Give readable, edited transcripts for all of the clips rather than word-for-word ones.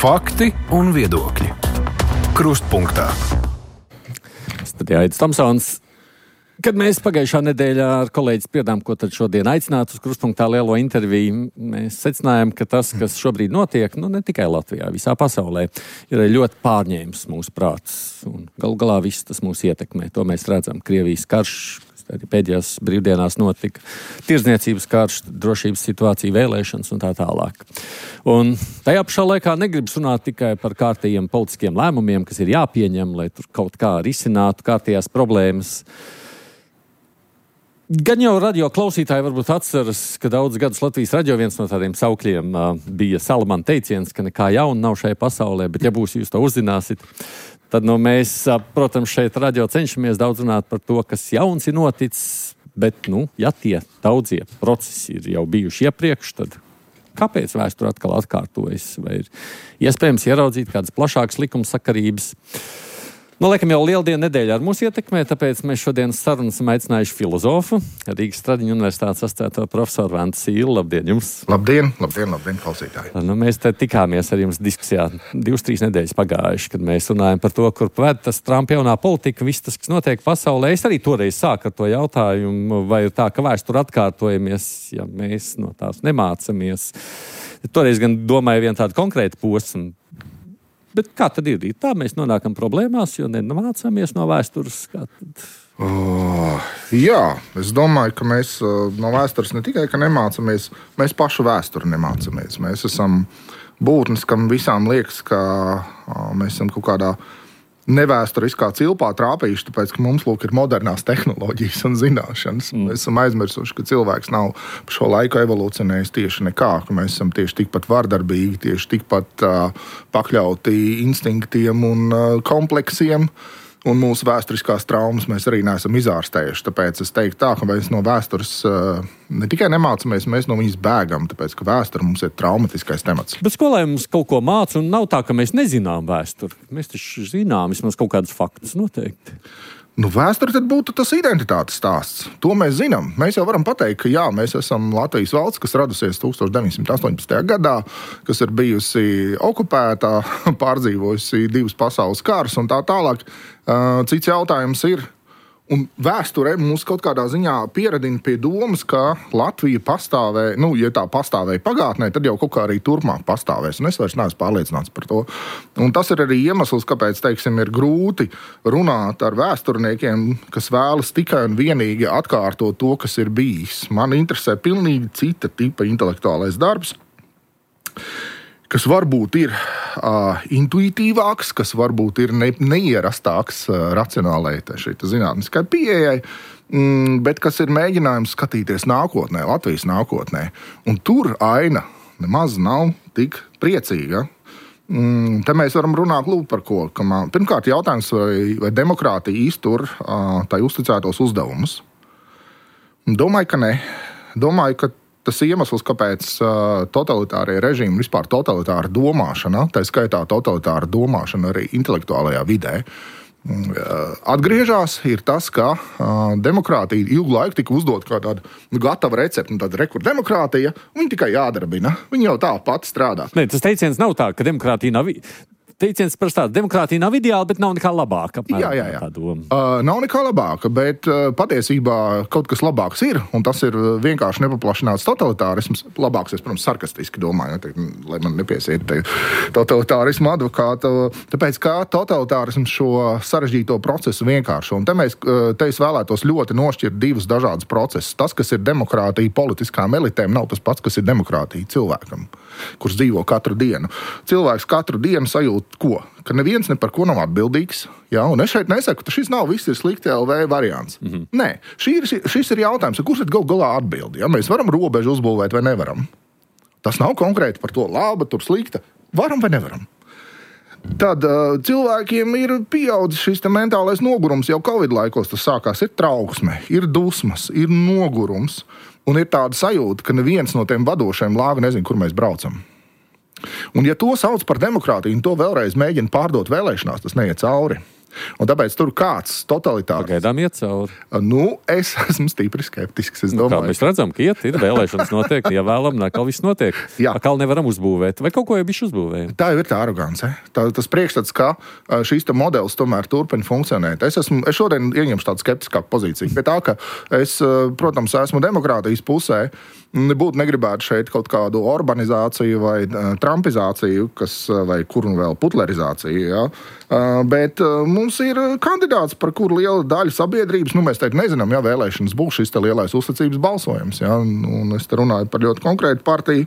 Fakti un viedokļi. Krustpunktā. Studijā Aidis Tomsons. Kad mēs pagājušā nedēļā ar kolēģi spriedām, ko tad šodien aicināt uz Krustpunktā lielo interviju, mēs secinājām, ka tas, kas šobrīd notiek, ne tikai Latvijā, visā pasaulē, ir ļoti pārņēmis mūsu prātus. Un galu galā viss tas mūs ietekmē. To mēs redzam. Krievijas karš, arī pēdējās brīvdienās notika, tirdzniecības karš, drošības situācija, vēlēšanas un tā tālāk. Un tajā pašā laikā negribas runāt tikai par kārtējiem politiskiem lēmumiem, kas ir jāpieņem, lai tur kaut kā risinātu kārtējās problēmas. Gan jau radio klausītāji varbūt atceras, ka daudz gadus Latvijas radio viens no tādiem saukļiem bija Salamana teiciens, ka nekā jauna nav šajā pasaulē, bet ja būs jūs to uzzināsit, tad mēs, protams, šeit radio cenšamies daudz runāt par to, kas jauns ir noticis, bet, ja tie daudzie procesi ir jau bijuši iepriekš, tad kāpēc vēsture atkal atkārtojas? Vai ir iespējams ieraudzīt kādas plašākas likumsakarības? Laikam jau lieldienu nedēļa ar mūs ietekmē, tāpēc mēs šodien sarunas esam aicinājuši filozofu, Rīgas Stradiņu universitātes asociēto profesoru Vantu Sīlu. Labdien jums! Labdien, klausītāji! Mēs te tikāmies ar jums diskusijā 2-3 nedēļas pagājuši, kad mēs runājam par to, kur ved tas Trumpa jaunā politika, viss tas, kas notiek pasaulē. Es arī toreiz sāku ar to jautājumu, vai ir tā, ka vēsture atkārtojamies, ja mēs no tās nemācamies. Toreiz gan domāju vienu tādu konkrētu posmu. Bet kā tad ir? Tā mēs nonākam problēmās, jo nemācāmies no vēstures. Jā, es domāju, ka mēs no vēstures ne tikai nemācāmies, mēs pašu vēsturi nemācāmies. Mēs esam būtnes, kam visām liekas, ka mēs esam kaut kādā nevēsturiskā cilpā trāpījuši, tāpēc, ka mums ir modernās tehnoloģijas un zināšanas. Mēs esam aizmirsuši, ka cilvēks nav šo laiku evolūcionējis tieši nekā, ka mēs esam tieši tikpat vardarbīgi, tieši tikpat pakļauti instinktiem un kompleksiem, un mūsu vēsturiskās traumas mēs arī neesam izārstējuši. Tāpēc es teiktu tā, ka mēs no vēstures ne tikai nemācāmies, mēs no viņas bēgam, tāpēc, ka vēsture mums ir traumatiskais temats. Bet skolē mums kaut ko māca, un nav tā, ka mēs nezinām vēsturi. Mēs taču zinām vismaz kaut kādus faktus noteikti. Vēsture tad būtu tas identitātes stāsts. To mēs zinām. Mēs jau varam pateikt, ka jā, mēs esam Latvijas valsts, kas radusies 1918. gadā, kas ir bijusi okupētā, pārdzīvojusi 2 pasaules karus un tā tālāk. Cits jautājums ir, un vēsture mūs kaut kādā ziņā pieradina pie domas, ka Latvija pastāvēja, ja tā pastāvēja pagātnē, tad jau kaut kā arī turpmāk pastāvēs. Un es vairs neesmu pārliecināts par to. Un tas ir arī iemesls, kāpēc, ir grūti runāt ar vēsturniekiem, kas vēlas tikai un vienīgi atkārtot to, kas ir bijis. Man interesē pilnīgi cita tipa intelektuālais darbs, kas varbūt ir intuitīvāks, kas varbūt ir neierastāks racionālai zinātniskai pieejai, bet kas ir mēģinājums skatīties nākotnē, Latvijas nākotnē. Un tur aina nemaz nav tik priecīga. Te mēs varam runāt par ko. Pirmkārt, jautājums, vai demokrātija iztur tai uzticētos uzdevumus. Domāju, ka ne. Domāju, ka tas iemesls, kāpēc totalitārie režīmi, vispār totalitāra domāšana, tā skaitā totalitāra domāšana arī intelektuālajā vidē, atgriežas, ir tas, ka demokrātija ilgu laiku tika uzdot kā tāda gatava recepte, tāda demokrātija, viņa tikai jādarbina. Viņa jau tā pati strādā. Nē, tas teiciens nav tā, ka demokrātija nav... Teiciens par tādu, demokrātija nav ideāla, bet nav nekā labāka. Jā. Nav nekā labāka, bet patiesībā kaut kas labāks ir, un tas ir vienkārši nepaplašināts totalitārisms. Labāks, es, protams, sarkastiski domāju, lai man nepiesiet totalitārismu advokātu, tāpēc kā totalitārisms šo sarežģīto procesu vienkāršo. Un te es vēlētos ļoti nošķirt 2 dažādus procesus. Tas, kas ir demokrātija politiskām elitēm, nav tas pats, kas ir demokrātija cilvēkam, kurš dzīvo katru dienu. Cilvēks katru dienu sajūt ko? Ka neviens ne par ko nav atbildīgs. Ja? Un es šeit nesaku, ka šis nav viss ir slikti LV variants. Nē, šis ir jautājums, kurš tad galā atbildi? Ja? Mēs varam robežu uzbūvēt vai nevaram? Tas nav konkrēti par to laba, tur slikta. Varam vai nevaram? Tad cilvēkiem ir pieaudzis šis mentālais nogurums. Jau Covid laikos tas sākās. Ir trauksme, ir dusmas, ir nogurums. Un ir tāda sajūta, ka neviens no tiem vadošajiem lāga nezin, kur mēs braucam. Un ja to sauc par demokrātiju un to vēlreiz mēģina pārdot vēlēšanās, tas neiet cauri. Un tāpēc tur kāds totalitārs. Pagaidām iet cauri. Es esmu stipri skeptisks. Kā mēs redzam, ka ir vēlēšanas notiek, ievēlam, nekal viss notiek. Akal nevaram uzbūvēt. Vai kaut ko jau bišķi uzbūvējam? Tā jau ir tā arogance. Tas priekšstats, ka šīs modelis tomēr turpina funkcionēt. Es šodien ieņemšu tādu skeptiskāku pozīciju. Pie tā, ka es, protams, esmu demokrātijas pusē, nebūtu negribētu šeit kaut kādu urbanizāciju vai trumpizāciju, vai kuru vēl putlerizāciju. Ja? Bet mums ir kandidāts, par kuru liela daļa sabiedrības, mēs teikt nezinām, ja vēlēšanas būs šis te lielais uzticības balsojums. Ja? Un es te runāju par ļoti konkrētu partiju.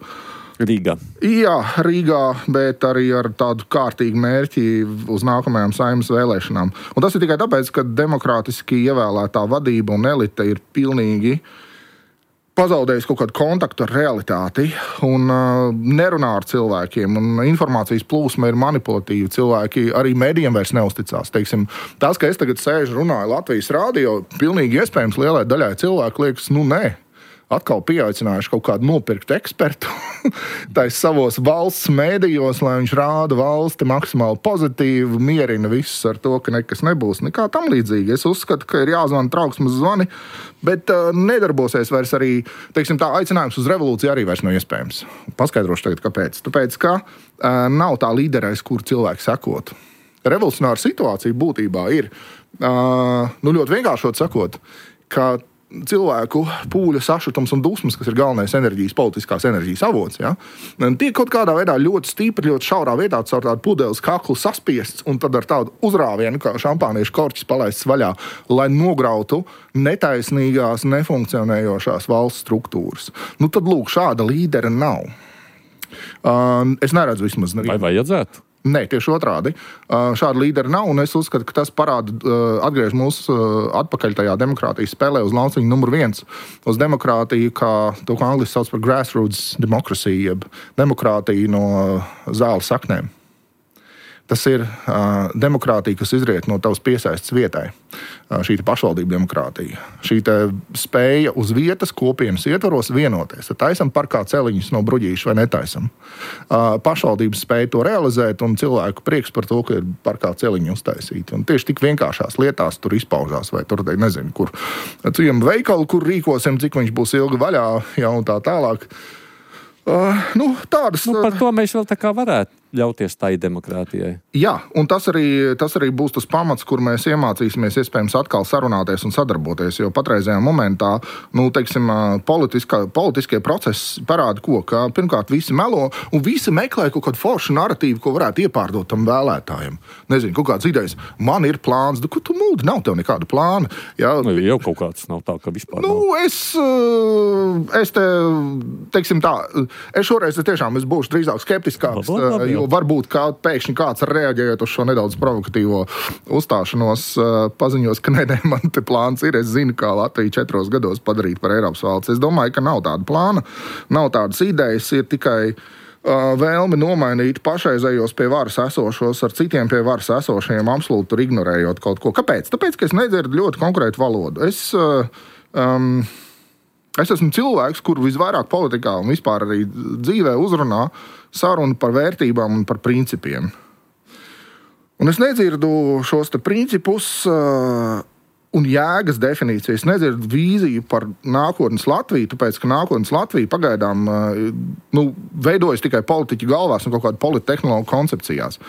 Rīgā. Jā, Rīgā, bet arī ar tādu kārtīgu mērķi uz nākamajām Saeimas vēlēšanām. Un tas ir tikai tāpēc, ka demokrātiski ievēlētā vadība un elite ir pilnīgi pazaudējis kaut kādu kontaktu ar realitāti un nerunā ar cilvēkiem. Un informācijas plūsma ir manipulatīva. Cilvēki arī medijiem vairs neusticās. Teiksim, tas, ka es tagad sēžu runāju Latvijas rādio, pilnīgi iespējams lielai daļai cilvēku liekas, nē. Atkal pieaicinājuši kaut kādu nopirktu ekspertu tais savos valsts mēdījos, lai viņš rāda valsti maksimāli pozitīvi, mierina visus ar to, ka nekas nebūs. Nekā tam līdzīgi. Es uzskatu, ka ir jāzvana trauksmes zvani, bet nedarbosies vairs arī, teiksim tā, aicinājums uz revolūciju arī vairs nav iespējams. Paskaidrošu tagad, kāpēc. Tāpēc, ka nav tā līderais, kur cilvēki sekotu. Revolucionāra situācija būtībā ir, ļoti vienkāršot sakot, ka cilvēku pūļa sašutums un dusmas, kas ir galvenais politiskās enerģijas avots, ja, tiek kaut kādā veidā ļoti stipri, ļoti šaurā vietā caur tādu pudeles kaklu saspiests un tad ar tādu uzrāvienu, kā šampāniešu korķis palaists vaļā, lai nograutu netaisnīgās, nefunkcionējošās valsts struktūras. Tad, lūk, šāda līdera nav. Es neredzu vismaz nevienu. Vai vajadzētu? Nē, tieši otrādi. Šāda līdera nav, un es uzskatu, ka tas atgriež mūs atpakaļ tajā demokrātijas spēlē uz lauciņu numur 1. Uz demokrātiju, kā to, ko angliski sauc par grassroots democracy, jeb demokrātiju no zāles saknēm. Tas ir demokrātija, kas izriet no tavas piesaistes vietai. Šī pašvaldība demokrātija. Šī spēja uz vietas kopienas ietvaros vienoties. Taisam parkā celiņus no bruģīša vai netaisam. Pašvaldības spēja to realizēt un cilvēku prieks par to, ka ir parkā celiņi uztaisīti. Un tieši tik vienkāršās lietās tur izpaužās vai tur, nezinu, kur. Cujam veikalu, kur rīkosim, cik viņš būs ilgi vaļā, ja un tā tālāk. Tādas... par to mēs vēl tā kā varētu ļauties tai demokrātijai. Jā, un tas arī būs tas pamats, kur mēs iemācīsimies iespējams atkal sarunāties un sadarboties, jo patreizajā momentā, teiksim, politiskie procesi parāda ka pirmkārt visi melo un visi meklē kaut kādu foršu narratīvu, ko varētu iepārdot tam vēlētājiem. Nezinu, kaut kāds idejs, man ir plāns, ko tu mūdi, nav tev nekāda plāna. Jā, jau kaut kāds nav tā, ka vispār nav. Es teiksim tā, es šoreiz tiešām būšu drīzāk skeptiskāks, jo varbūt pēkšņi kāds reaģējot uz šo nedaudz provokatīvo uzstāšanos paziņos, ka nē, man te plāns ir. Es zinu, kā Latviju 4 gados padarīt par Eiropas valsts. Es domāju, ka nav tāda plāna, nav tādas idejas, ir tikai vēlme nomainīt pašreizējos pie varas esošos ar citiem pie varas esošiem, absolūti ignorējot kaut ko. Kāpēc? Tāpēc, ka es nedzirdu ļoti konkrētu valodu. Es esmu cilvēks, kuru visvairāk politikā un vispār arī dzīvē uzrunā sarunu par vērtībām un par principiem. Un es nedzirdu šos te principus un jēgas definīcijas. Es nedzirdu vīziju par nākotnes Latviju, tāpēc, ka nākotnes Latvija pagaidām veidojas tikai politiķu galvās un kaut kādu polittehnologu koncepcijās.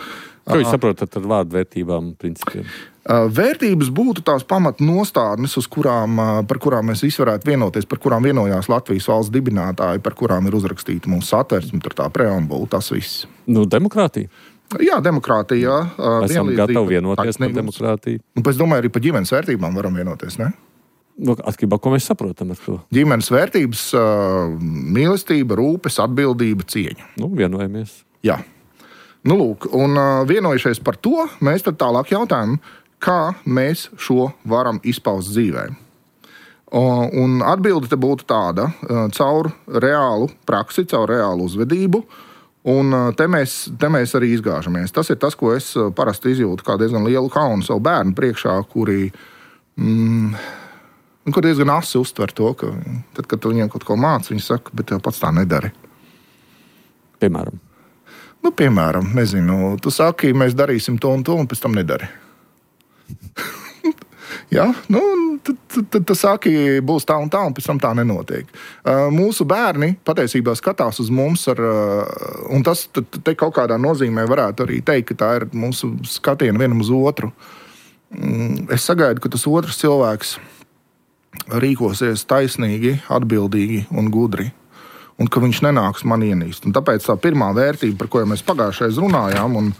Ko jūs saprotat ar vārdu vērtībām un principiem? Vērtības būtu tās pamatnostādnes, par kurām mēs visi varētu vienoties, par kurām vienojās Latvijas valsts dibinātāji, par kurām ir uzrakstīta mūsu satversme, tur tā preambula, tas viss. Demokrātija? Jā, demokrātija. Esam gatavi vienoties par demokrātiju. Es domāju, arī par ģimenes vērtībām varam vienoties, ne? Atkarībā, ko mēs saprotam ar to? Ģimenes vērtības, mīlestība, rūpes, atbildība, cieņa. Vienojamies. Jā. Lūk, un vienojušies par to, mēs tad tālāk jautājam, kā mēs šo varam izpaust dzīvē. Un atbilde te būtu tāda, caur reālu praksi, caur reālu uzvedību, un te mēs arī izgāžamies. Tas ir tas, ko es parasti izjūtu kā diezgan lielu kaunu savu bērnu priekšā, kuri diezgan asi uztver to, ka tad, kad tu viņiem kaut ko māci, viņi saka, bet tev pats tā nedari. Piemēram? Piemēram, nezinu, tu saki, mēs darīsim to un to, un pēc tam nedari. Jā, tad saki, būs tā un pēc tam tā nenotiek. Mūsu bērni patiesībā skatās uz mums un tas te kaut kādā nozīmē varētu arī teikt, ka tā ir mūsu skatiena vienam uz otru. Es sagaidu, ka tas otrs cilvēks rīkosies taisnīgi, atbildīgi un gudri, un ka viņš nenāks man ienīst. Un tāpēc tā pirmā vērtība, par ko mēs pagājušais runājām, un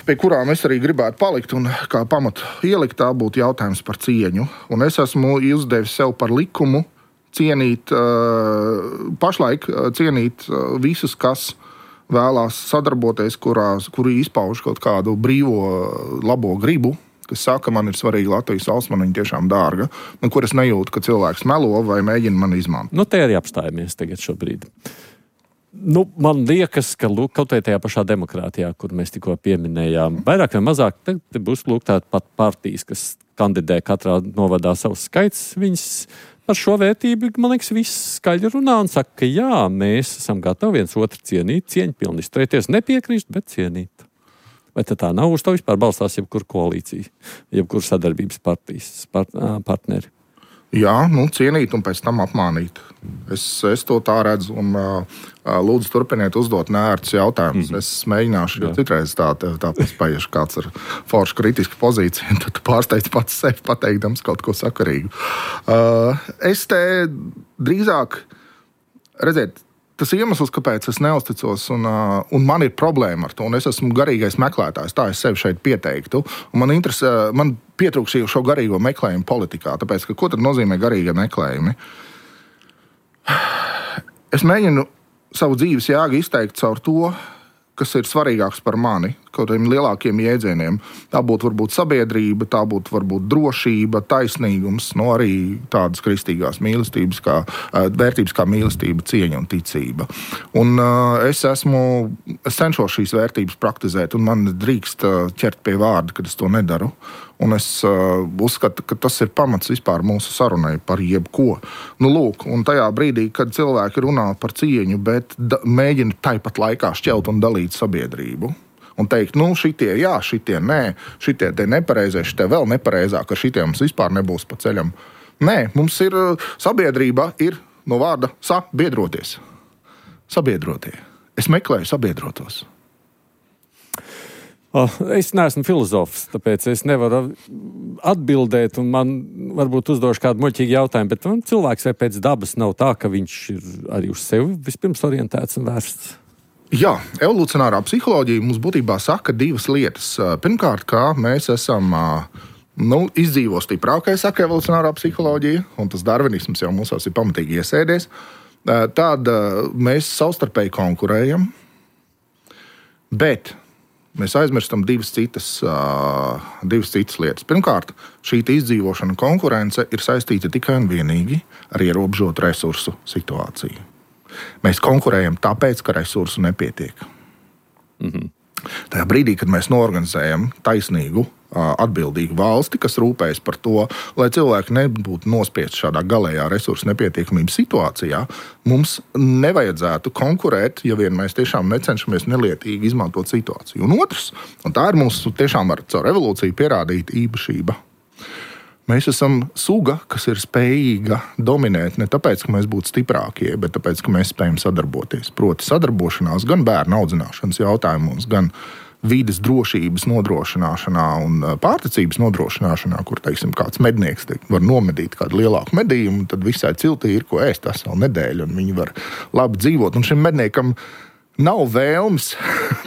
pie kurām es arī gribētu palikt un kā pamatu ielikt, tā būtu jautājums par cieņu. Un es esmu uzdevis sev par likumu pašlaik cienīt visus, kas vēlās sadarboties, kuri izpauž kaut kādu brīvo, labo gribu, kas saka, man ir svarīga Latvijas valsts, man viņa tiešām dārga, un kur es nejūtu, ka cilvēks melo vai mēģina mani izmantot. Te arī apstājamies tagad šobrīd. Man liekas, ka kaut vai tajā pašā demokrātijā, kur mēs tikko pieminējām, vairāk vai mazāk te būs tāda pat partijas, kas kandidē katrā novadā savus skaits. Viņas par šo vērtību, man liekas, viss skaļi runā un saka, ka jā, mēs esam gatavi viens otru cienīt, cieņpilni izturēties, nepiekrist, bet cienīt. Vai tā nav, uz to vispār balstās jebkura koalīcija, jebkura sadarbības partneri? Jā, cienīt un pēc tam apmānīt. Es to tā redzu un lūdzu turpiniet uzdot neērtus jautājumus. Es mēģināšu, jo citreiz tā paspējuši kāds ar foršu kritisku pozīciju, un tad tu pārsteidz pats sevi pateikdams kaut ko sakarīgu. Es te drīzāk, redziet, tas iemesls, kāpēc es neusticos, un man ir problēma ar to, un es esmu garīgais meklētājs, tā es sevi šeit pieteiktu, un man pietrūks šo garīgo meklējumu politikā, tāpēc, ka ko tad nozīmē garīga meklējumi? Es mēģinu savu dzīves jēgu izteikt caur to, kas ir svarīgāks par mani, kaut kādiem lielākiem jēdzieniem. Tā būtu varbūt sabiedrība, tā būtu varbūt drošība, taisnīgums, arī tādas kristīgās mīlestības, vērtības kā mīlestība, cieņa un ticība. Un es cenšos šīs vērtības praktizēt, un man drīkst ķert pie vārda, kad es to nedaru. Un es uzskatu, ka tas ir pamats vispār mūsu sarunai par jebko. Un tajā brīdī, kad cilvēki runā par cieņu, bet mēģina tāpat laikā šķelt un dalīt sabiedrību. Un teikt, šitie jā, šitie nē, šitie te nepareizie, šitie vēl nepareizāk, ar šitiem mums vispār nebūs pa ceļam. Nē, mums ir sabiedrība, ir no vārda sabiedroties. Sabiedrotie. Es meklēju sabiedrotos. Es neesmu filozofs, tāpēc es nevaru atbildēt, un man varbūt uzdošu kādu muļķīgu jautājumu, bet cilvēks vai pēc dabas nav tā, ka viņš ir arī uz sevi vispirms orientēts un vērsts? Jā, evolucionārā psiholoģija mums būtībā saka divas lietas. Pirmkārt, kā mēs esam izdzīvo stiprākais, saka evolucionārā psiholoģija, un tas darvinisms jau mūsos ir pamatīgi iesēdies. Tad mēs savstarpēji konkurējam, bet mēs aizmirstam divas citas lietas. Pirmkārt, šī izdzīvošana konkurence ir saistīta tikai un vienīgi ar ierobežotu resursu situāciju. Mēs konkurējam tāpēc, ka resursu nepietiek. Tajā brīdī, kad mēs noorganizējam taisnīgu, atbildīgu valsti, kas rūpējas par to, lai cilvēki nebūtu nospiesti šādā galējā resursu nepietiekamības situācijā, mums nevajadzētu konkurēt, ja vien mēs tiešām necenšamies nelietīgi izmantot situāciju. Un otrs, un tā ir mūsu tiešām caur evolūciju pierādīta īpašība. Mēs esam suga, kas ir spējīga dominēt ne tāpēc, ka mēs būtu stiprākie, bet tāpēc, ka mēs spējam sadarboties. Proti sadarbošanās gan bērnu audzināšanas jautājumos, gan vides drošības nodrošināšanā un pārticības nodrošināšanā, kur, teiksim, kāds mednieks var nomedīt kādu lielāku medījumu, tad visai ciltī ir ko ēst veselu nedēļu, un viņi var labi dzīvot. Un šim medniekam nav vēlmes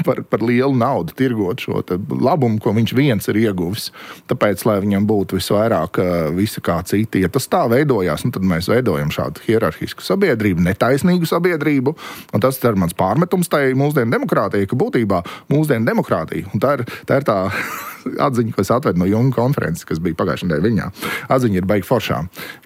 par lielu naudu tirgot šo labumu, ko viņš viens ir ieguvis. Tāpēc, lai viņam būtu visvairāk visa kā citi. Ja tas tā veidojās, tad mēs veidojam šādu hierarhisku sabiedrību, netaisnīgu sabiedrību. Un tas ir mans pārmetums tai mūsdienu demokrātijai, ka būtībā mūsdienu demokrātija. Un tā ir tā atziņa, ko es atvedu no Junga konferences, kas bija pagājušajā nedēļā Viņā. Atziņa ir baigi foršā,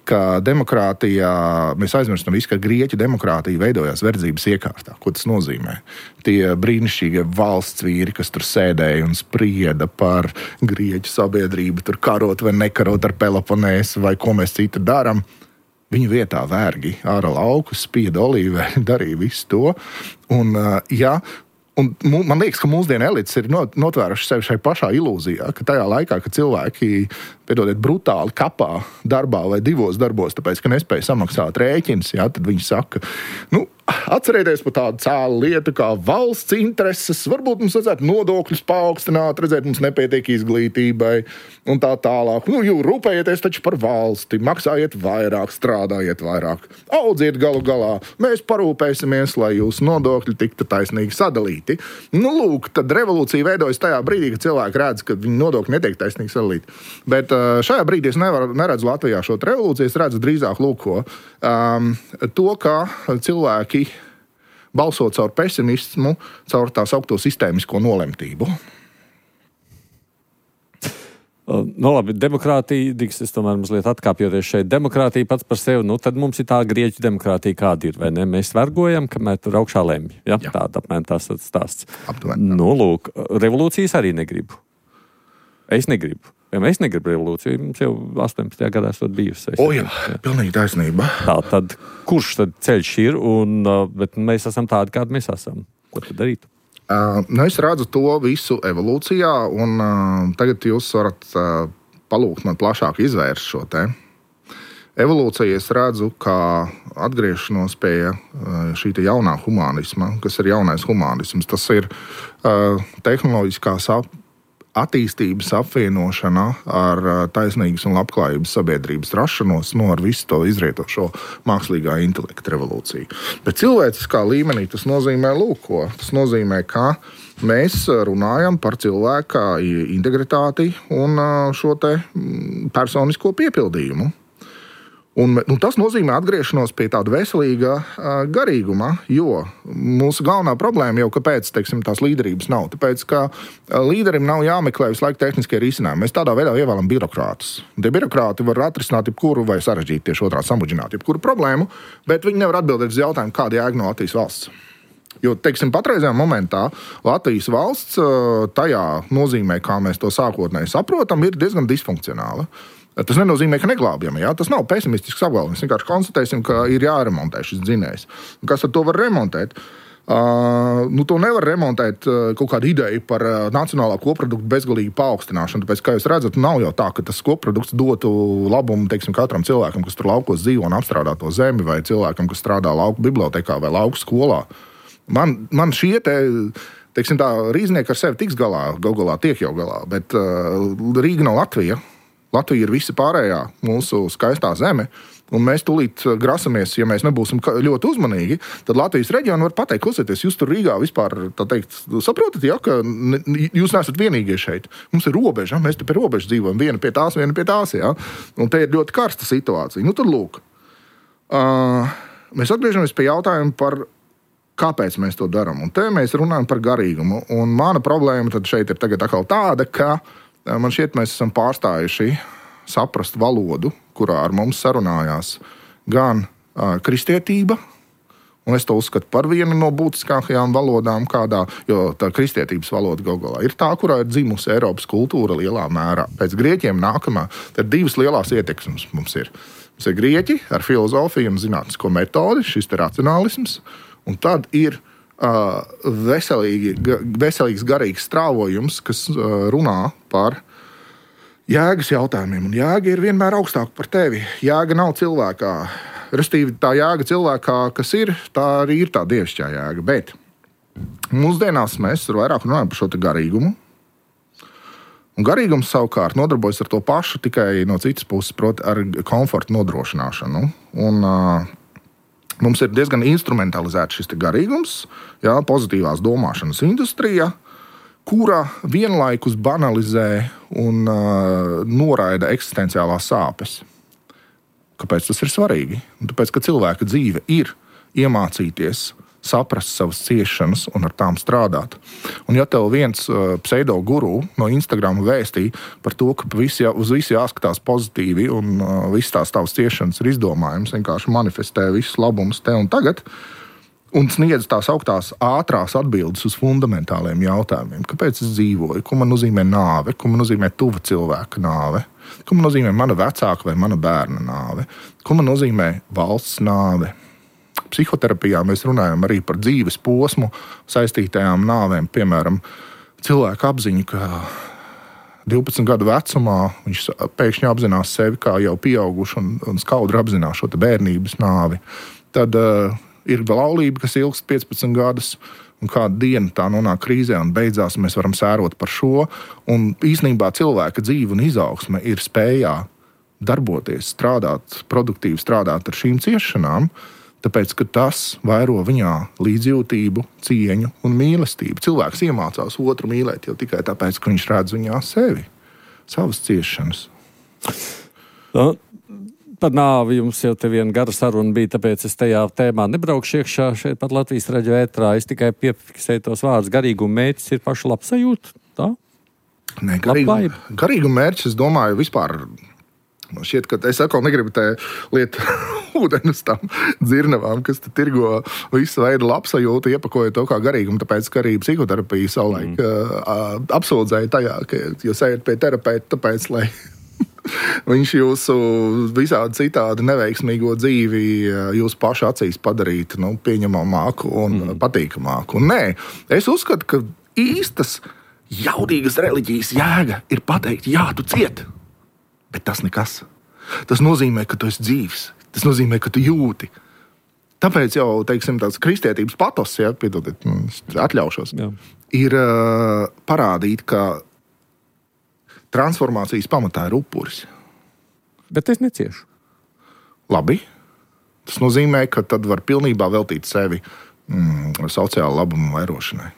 ka demokrātijā, mēs aizmirstam visu, ka grieķu demokrātija veidojās verdzības iekārtā. Ko tas nozīmē? Tie brīnišķīgie valsts vīri, kas tur sēdēja un sprieda par grieķu sabiedrību, tur karot vai nekarot ar Peloponēsu vai ko mēs citu darām. Viņu vietā vērgi āra laukus, spieda olīvē, darīja visu to. Un, Un man liekas, ka mūsdienu elites ir notvēruši sevi šai pašā ilūzijā, ka tajā laikā, kad cilvēki, piedodiet, brutāli kapā darbā vai divos darbos, tāpēc, ka nespēja samaksāt rēķins, tad viņi saka, atcerieties par tādu cēlu lietu kā valsts intereses, varbūt mums vajadzētu nodokļus paaugstināt, redzēt, mums nepietiek izglītībai un tā tālāk. Rūpējieties taču par valsti, maksājiet vairāk, strādājiet vairāk, audziet galu galā, mēs parūpēsimies, lai jūsu nodokļi tiktu taisnīgi sadalīti. Lūk, tad revolūcija veidojas tajā brīdī, kad cilvēki redz, ka viņu nodokļi netiek taisnīgi sadalīti. Bet šajā brīdī es neredzu Latvijā šo revolūciju, es redzu drīzāk to, ka cilvēki balsot caur pesimismu, caur tā saukto sistēmisko nolemtību. Labi, demokrātija, es tomēr mazliet atkāpjoties šeit, demokrātija pats par sevi, tad mums ir tā grieķu demokrātija, kāda ir, vai ne? Mēs vergojam, kamēr tur augšā lemj. Ja? Tāda apmēram tās stāsts. Lūk, revolūcijas arī negribu. Es negribu. Es negribu revolūciju, mums jau 18. gadā esot bijusi. Pilnīgi taisnība. Tad kurš tad ceļš ir, bet mēs esam tādi, kādi mēs esam? Ko tad darīt? Es redzu to visu evolūcijā, un tagad jūs varat palūgt man plašāk izvērst šo te. Evolūcija es redzu kā atgriešanos pie šī jaunā humanisma, kas ir jaunais humanisms. Tas ir tehnoloģiskās attīstības apvienošana ar taisnīgas un labklājības sabiedrības rašanos, ar visu to izrietošo mākslīgā intelekta revolūciju. Bet cilvēciskā līmenī tas nozīmē lūko. Tas nozīmē, ka mēs runājam par cilvēka integritāti un šo te personisko piepildījumu. Un tas nozīmē atgriešanos pie tāda veselīga garīguma, jo mūsu galvenā problēma jau kāpēc, tās līderības nav. Tāpēc, ka līderim nav jāmeklē visu laiku tehniskie risinājumi. Mēs tādā veidā ievēlam birokrātus. Tie birokrāti var atrisināt jebkuru vai sarežģīt tieši otrādi samudžināt jebkuru problēmu, bet viņi nevar atbildēt uz jautājumu, kāda jēga no Latvijas valsts. Jo, patreizajā momentā Latvijas valsts tajā nozīmē, kā mēs to sākotnēji saprotam, ir diezgan disfunkcionāla. Tas nenozīmē, ka neglābjam. Tas nav pesimistisks apgalvojums. Mēs vienkārši konstatēsim, ka ir jāremontē šis dzinējs. Kas ar to var remontēt? To nevar remontēt kaut kādu ideju par nacionālā koprodukta bezgalīgu paaugstināšanu. Tāpēc, kā jūs redzat, nav jau tā, ka tas koprodukts dotu labumu katram cilvēkam, kas tur laukos dzīvo un apstrādā to zemi, vai cilvēkam, kas strādā lauku bibliotekā vai lauku skolā. Man šie tā rīznieki ar sevi tiks galā, galā tiek jau galā, bet Rīga nav Latvija. Latvija ir visa pārējā mūsu skaistā zeme, un mēs tūlīt grasamies, ja mēs nebūsim ļoti uzmanīgi, tad Latvijas reģionu var pateikt, klausieties, jūs tur Rīgā vispār, saprotat, ka jūs neesat vienīgie šeit. Mums ir robeža, mēs te pie robežas dzīvojam, viena pie tās, un te ir ļoti karsta situācija. Tad lūk, mēs atgriežamies pie jautājuma par kāpēc mēs to darām, un te mēs runājam par garīgumu, un mana problēma tad šeit ir tagad atkal tāda, ka man šķiet, mēs esam pārstājuši saprast valodu, kurā ar mums sarunājās gan kristietība, un es to uzskatu par vienu no būtiskākajām valodām kādā, jo tā kristietības valoda galā ir tā, kurā ir dzimusi Eiropas kultūra lielā mērā. Pēc grieķiem nākamā, tad divas lielās ietekmes mums ir. Mums ir grieķi ar filozofiju un zinātnisko metodi, šis te racionālisms, un tad ir veselīgs garīgs strāvojums, kas runā par jēgas jautājumiem. Un jēga ir vienmēr augstāka par tevi. Jēga nav cilvēkā. Restīvi tā jēga cilvēkā, kas ir, tā arī ir tā dievišķā jēga. Bet mūsdienās mēs vairāk runājam par šo te garīgumu. Un garīgums savukārt nodarbojas ar to pašu, tikai no citas puses, proti ar komfortu nodrošināšanu. Un mums ir diezgan instrumentalizēts šis garīgums, pozitīvās domāšanas industrija, kura vienlaikus banalizē un noraida eksistenciālās sāpes. Kāpēc tas ir svarīgi? Tāpēc, ka cilvēka dzīve ir iemācīties saprast savas ciešanas un ar tām strādāt. Un ja tev viens pseidoguru no Instagram vēstīja par to, ka uz visu jāskatās pozitīvi un visas tās tavas ciešanas ir izdomājums, vienkārši manifestē visus labumus te un tagad, un sniedz tās augtās ātrās atbildes uz fundamentāliem jautājumiem. Kāpēc es dzīvoju? Ko man nozīmē nāve? Ko man nozīmē tuva cilvēka nāve? Ko man nozīmē mana vecāka vai mana bērna nāve? Ko man nozīmē valsts nāve? psihoterapijā mēs runājam arī par dzīves posmu saistītajām nāvēm. Piemēram, cilvēku apziņu, ka 12 gadu vecumā viņš pēkšņi apzinās sevi kā jau pieauguši un skaudri apzinās šo bērnības nāvi. Tad ir laulība, kas ilgst 15 gadus, un kādu dienu tā nonāk krīzē un beidzās, mēs varam sērot par šo. Un īstenībā cilvēka dzīve un izaugsme ir spējā darboties, strādāt, produktīvi strādāt ar šīm ciešanām, tāpēc, ka tas vairo viņā līdzjūtību, cieņu un mīlestību. Cilvēks iemācās otru mīlēt jau tikai tāpēc, ka viņš redz viņā sevi, savas ciešanas. Par nāvi jums jau te viena gara saruna bija, tāpēc es tajā tēmā nebraukšu iekšā šeit pat Latvijas raidījuma ētrā. Es tikai piefiksēju tos vārdus. Garīguma mērķis ir paša labsajūta, tā? Nē, garīguma mērķis, es domāju, vispār šķiet, ka es atkal negribu te lietu ūdeni uz tām dzirnavām, kas te tirgo visu veidu labsajūtu, iepakojot to kā garīgumu, tāpēc, ka arī psihoterapija savulaik apsūdzēja tajā, ka jūs ejat pie terapeita, tāpēc, lai viņš jūsu visādi citādi neveiksmīgo dzīvi jūsu pašu acīs padarītu pieņemamāku un patīkamāku. Un nē, es uzskatu, ka īstas jaudīgas reliģijas jēga ir pateikt, jā, tu cieti, bet tas nekas. Tas nozīmē, ka tu esi dzīvs. Tas nozīmē, ka tu jūti. Tāpēc jau, teiksim, tāds kristietības patos, piedodiet, atļaušos, ir parādīt, ka transformācijas pamatā ir upuris. Bet es neciešu. Labi. Tas nozīmē, ka tad var pilnībā veltīt sevi sociāla labuma vairošanai.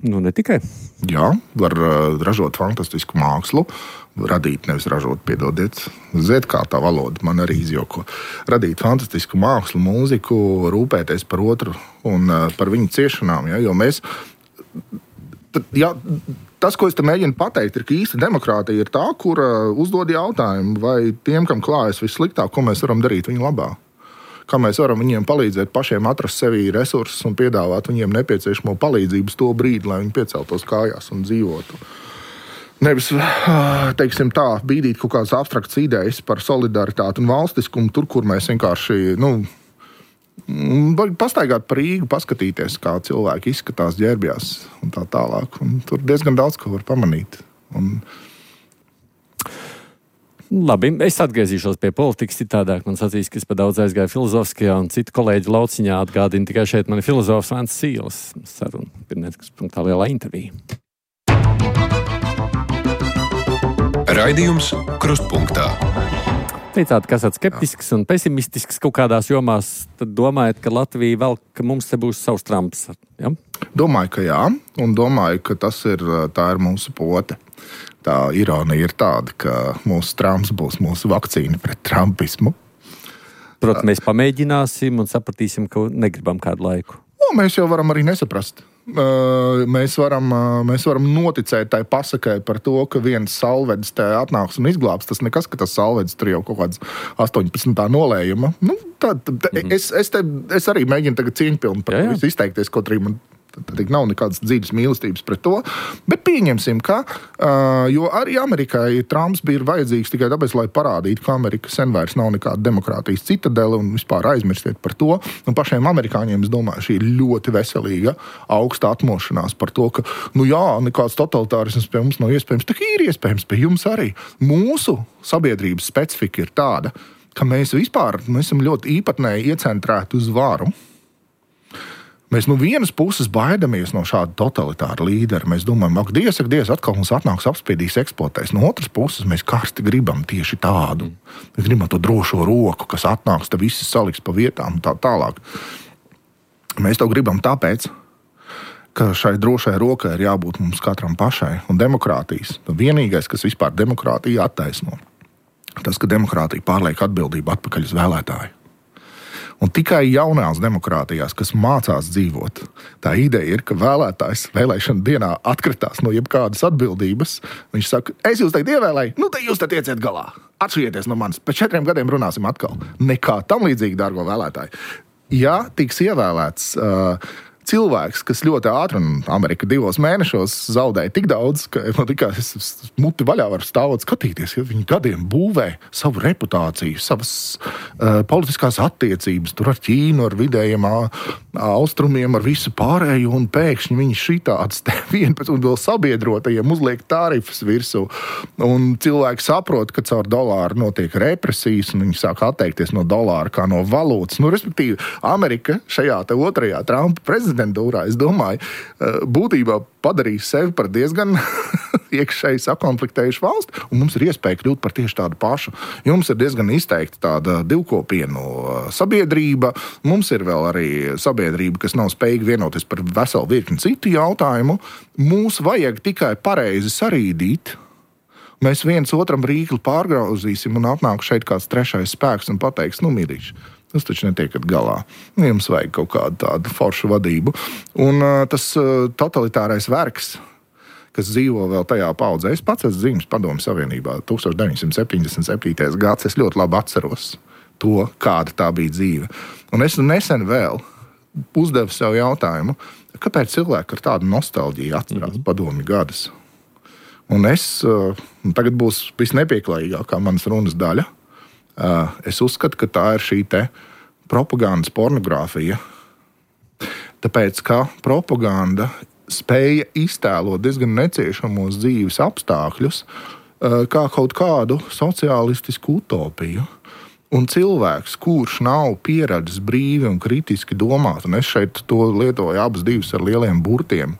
Ne tikai. Jā, var ražot fantastisku mākslu, radīt, nevis ražot, piedodiet, zēt kā tā valoda, man arī izjoko. Radīt fantastisku mākslu, mūziku, rūpēties par otru un par viņu ciešanām, jo mēs... Tas, ko es te mēģinu pateikt, ir, ka īsta demokrātija ir tā, kur uzdod jautājumu, vai tiem, kam klājas vissliktāk, ko mēs varam darīt viņu labā. Kā mēs varam viņiem palīdzēt pašiem atrast sevī resursus un piedāvāt viņiem nepieciešamo palīdzību to brīdi, lai viņi pieceltos kājās un dzīvotu. Nevis, teiksim tā, bīdīt kaut kādas abstraktas idejas par solidaritāti un valstiskumu, tur, kur mēs vienkārši, pastaigāt par Rīgu, paskatīties, kā cilvēki izskatās ģērbjās un tā tālāk. Un tur diezgan daudz, ko var pamanīt. Labi, es atgriezīšos pie politikas citādāk. Man sacīs, ka es pa daudz aizgāju filozofiskajā un citu kolēģu lauciņā atgādina tikai šeit mani filozofs Vents Sīles saruna. Pirmniecikas punktā lielā intervija. Raidījums Krustpunktā. Teicāt, ka esat skeptisks un pesimistisks kaut kādās jomās, tad domājat, ka Latvija vēl, ka mums te būs savs Trumps, ja? Domāju, ka jā, un domāju, ka tā ir mūsu pote. Tā ironija ir tāda, ka mūsu Trumps būs mūsu vakcīna pret trumpismu. Protams, mēs pamēģināsim un sapratīsim, ka negribam kādu laiku. Mēs jau varam arī nesaprast. Mēs varam noticēt tai pasakai par to, ka viens salvedis te atnāks un izglābs. Tas nekas, ka tas salvedis tur jau kaut kāds 18. nolējuma. Es arī mēģinu tagad cieņpilni par to visu izteikties, kaut arī man nav nekādas dziļas mīlestības pret to. Bet pieņemsim, ka, jo arī Amerikai Trumps bija vajadzīgs tikai tāpēc, lai parādītu, ka Amerika sen vairs nav nekāda demokrātijas citadele un vispār aizmirstiet par to. Un pašiem amerikāņiem, es domāju, šī ir ļoti veselīga, augsta atmošanās par to, ka, nekāds totalitārisms pie mums nav iespējams. Tā ir iespējams pie jums arī. Mūsu sabiedrības specifika ir tāda, ka mēs esam ļoti īpatnēji iecentrēti uz varu. Mēs no vienas puses baidamies no šāda totalitāra līdera. Mēs domājam, ak, Dievs, atkal mums atnāks apspiedīs, eksploatēs. No otras puses, mēs karsti gribam tieši tādu. Mēs gribam to drošo roku, kas atnāks, te viss saliks pa vietām un tā tālāk. Mēs to gribam tāpēc, ka šai drošai rokai ir jābūt mums katram pašai. Un demokrātijas, vienīgais, kas vispār demokrātiju attaisno, tas, ka demokrātija pārliek atbildību atpakaļ uz vēlētāju. Un tikai jaunās demokrātijās, kas mācās dzīvot, tā ideja ir, ka vēlētājs vēlēšana dienā atkritās no jebkādas atbildības. Viņš saka, es jūs tagad ievēlēju, tad jūs tad ieciet galā. Atšķirieties no manis. Pēc 4 gadiem runāsim atkal. Nekā tam līdzīgi, dārgo vēlētāji. Ja tiks ievēlēts cilvēks, kas ļoti ātri, un Amerika 2 mēnešos zaudēja tik daudz, ka man likās, es muti vaļā varu stāvot skatīties, ja viņi gadiem būvē savu reputāciju, savas politiskās attiecības, tur ar Ķīnu, ar vidējiem austrumiem, ar visu pārējo, un pēkšņi viņi šitāds te vienpēc un vēl sabiedrotajiem uzliek tarifus virsū. Un cilvēki saprot, ka caur dolāru notiek represijas, un viņi sāk atteikties no dolāra kā no valūtas. Nu, respektīvi, Amerika šajā te otrajā Trumpa prezidentūrā, es domāju, būtībā padarīs sevi par diezgan iekšēji sakonfliktējušu valsti, un mums ir iespēja kļūt par tieši tādu pašu. Jums ir diezgan izteikta tāda divkopienu sabiedrība, mums ir vēl arī sabiedrība, kas nav spējīga vienoties par veselu virkni citu jautājumu. Mūs vajag tikai pareizi sarīdīt. Mēs viens otram rīkli pārgrauzīsim un atnāk šeit kāds trešais spēks un pateiks, nu, mīļiši, tas taču netiekat galā. Jums vajag kaut kādu tādu foršu vadību. Un tas totalitārais vergs, kas dzīvo vēl tajā paudzē, es pats esmu dzimis Padomju Savienībā 1977. gads, es ļoti labi atceros to, kāda tā bija dzīve. Un es nesen vēl uzdevu sev jautājumu, kāpēc cilvēki ar tādu nostalģiju atcerās Padomju gadus. Un tagad būs visnepieklājīgākā manas runas daļa. Es uzskatu, ka tā ir šī te propagandas pornogrāfija. Tāpēc, ka propaganda spēja iztēlot diezgan neciešamos dzīves apstākļus kā kaut kādu sociālistisku utopiju. Un cilvēks, kurš nav pieredzis brīvi un kritiski domāt, un es šeit to lietoju abas divas ar lieliem burtiem,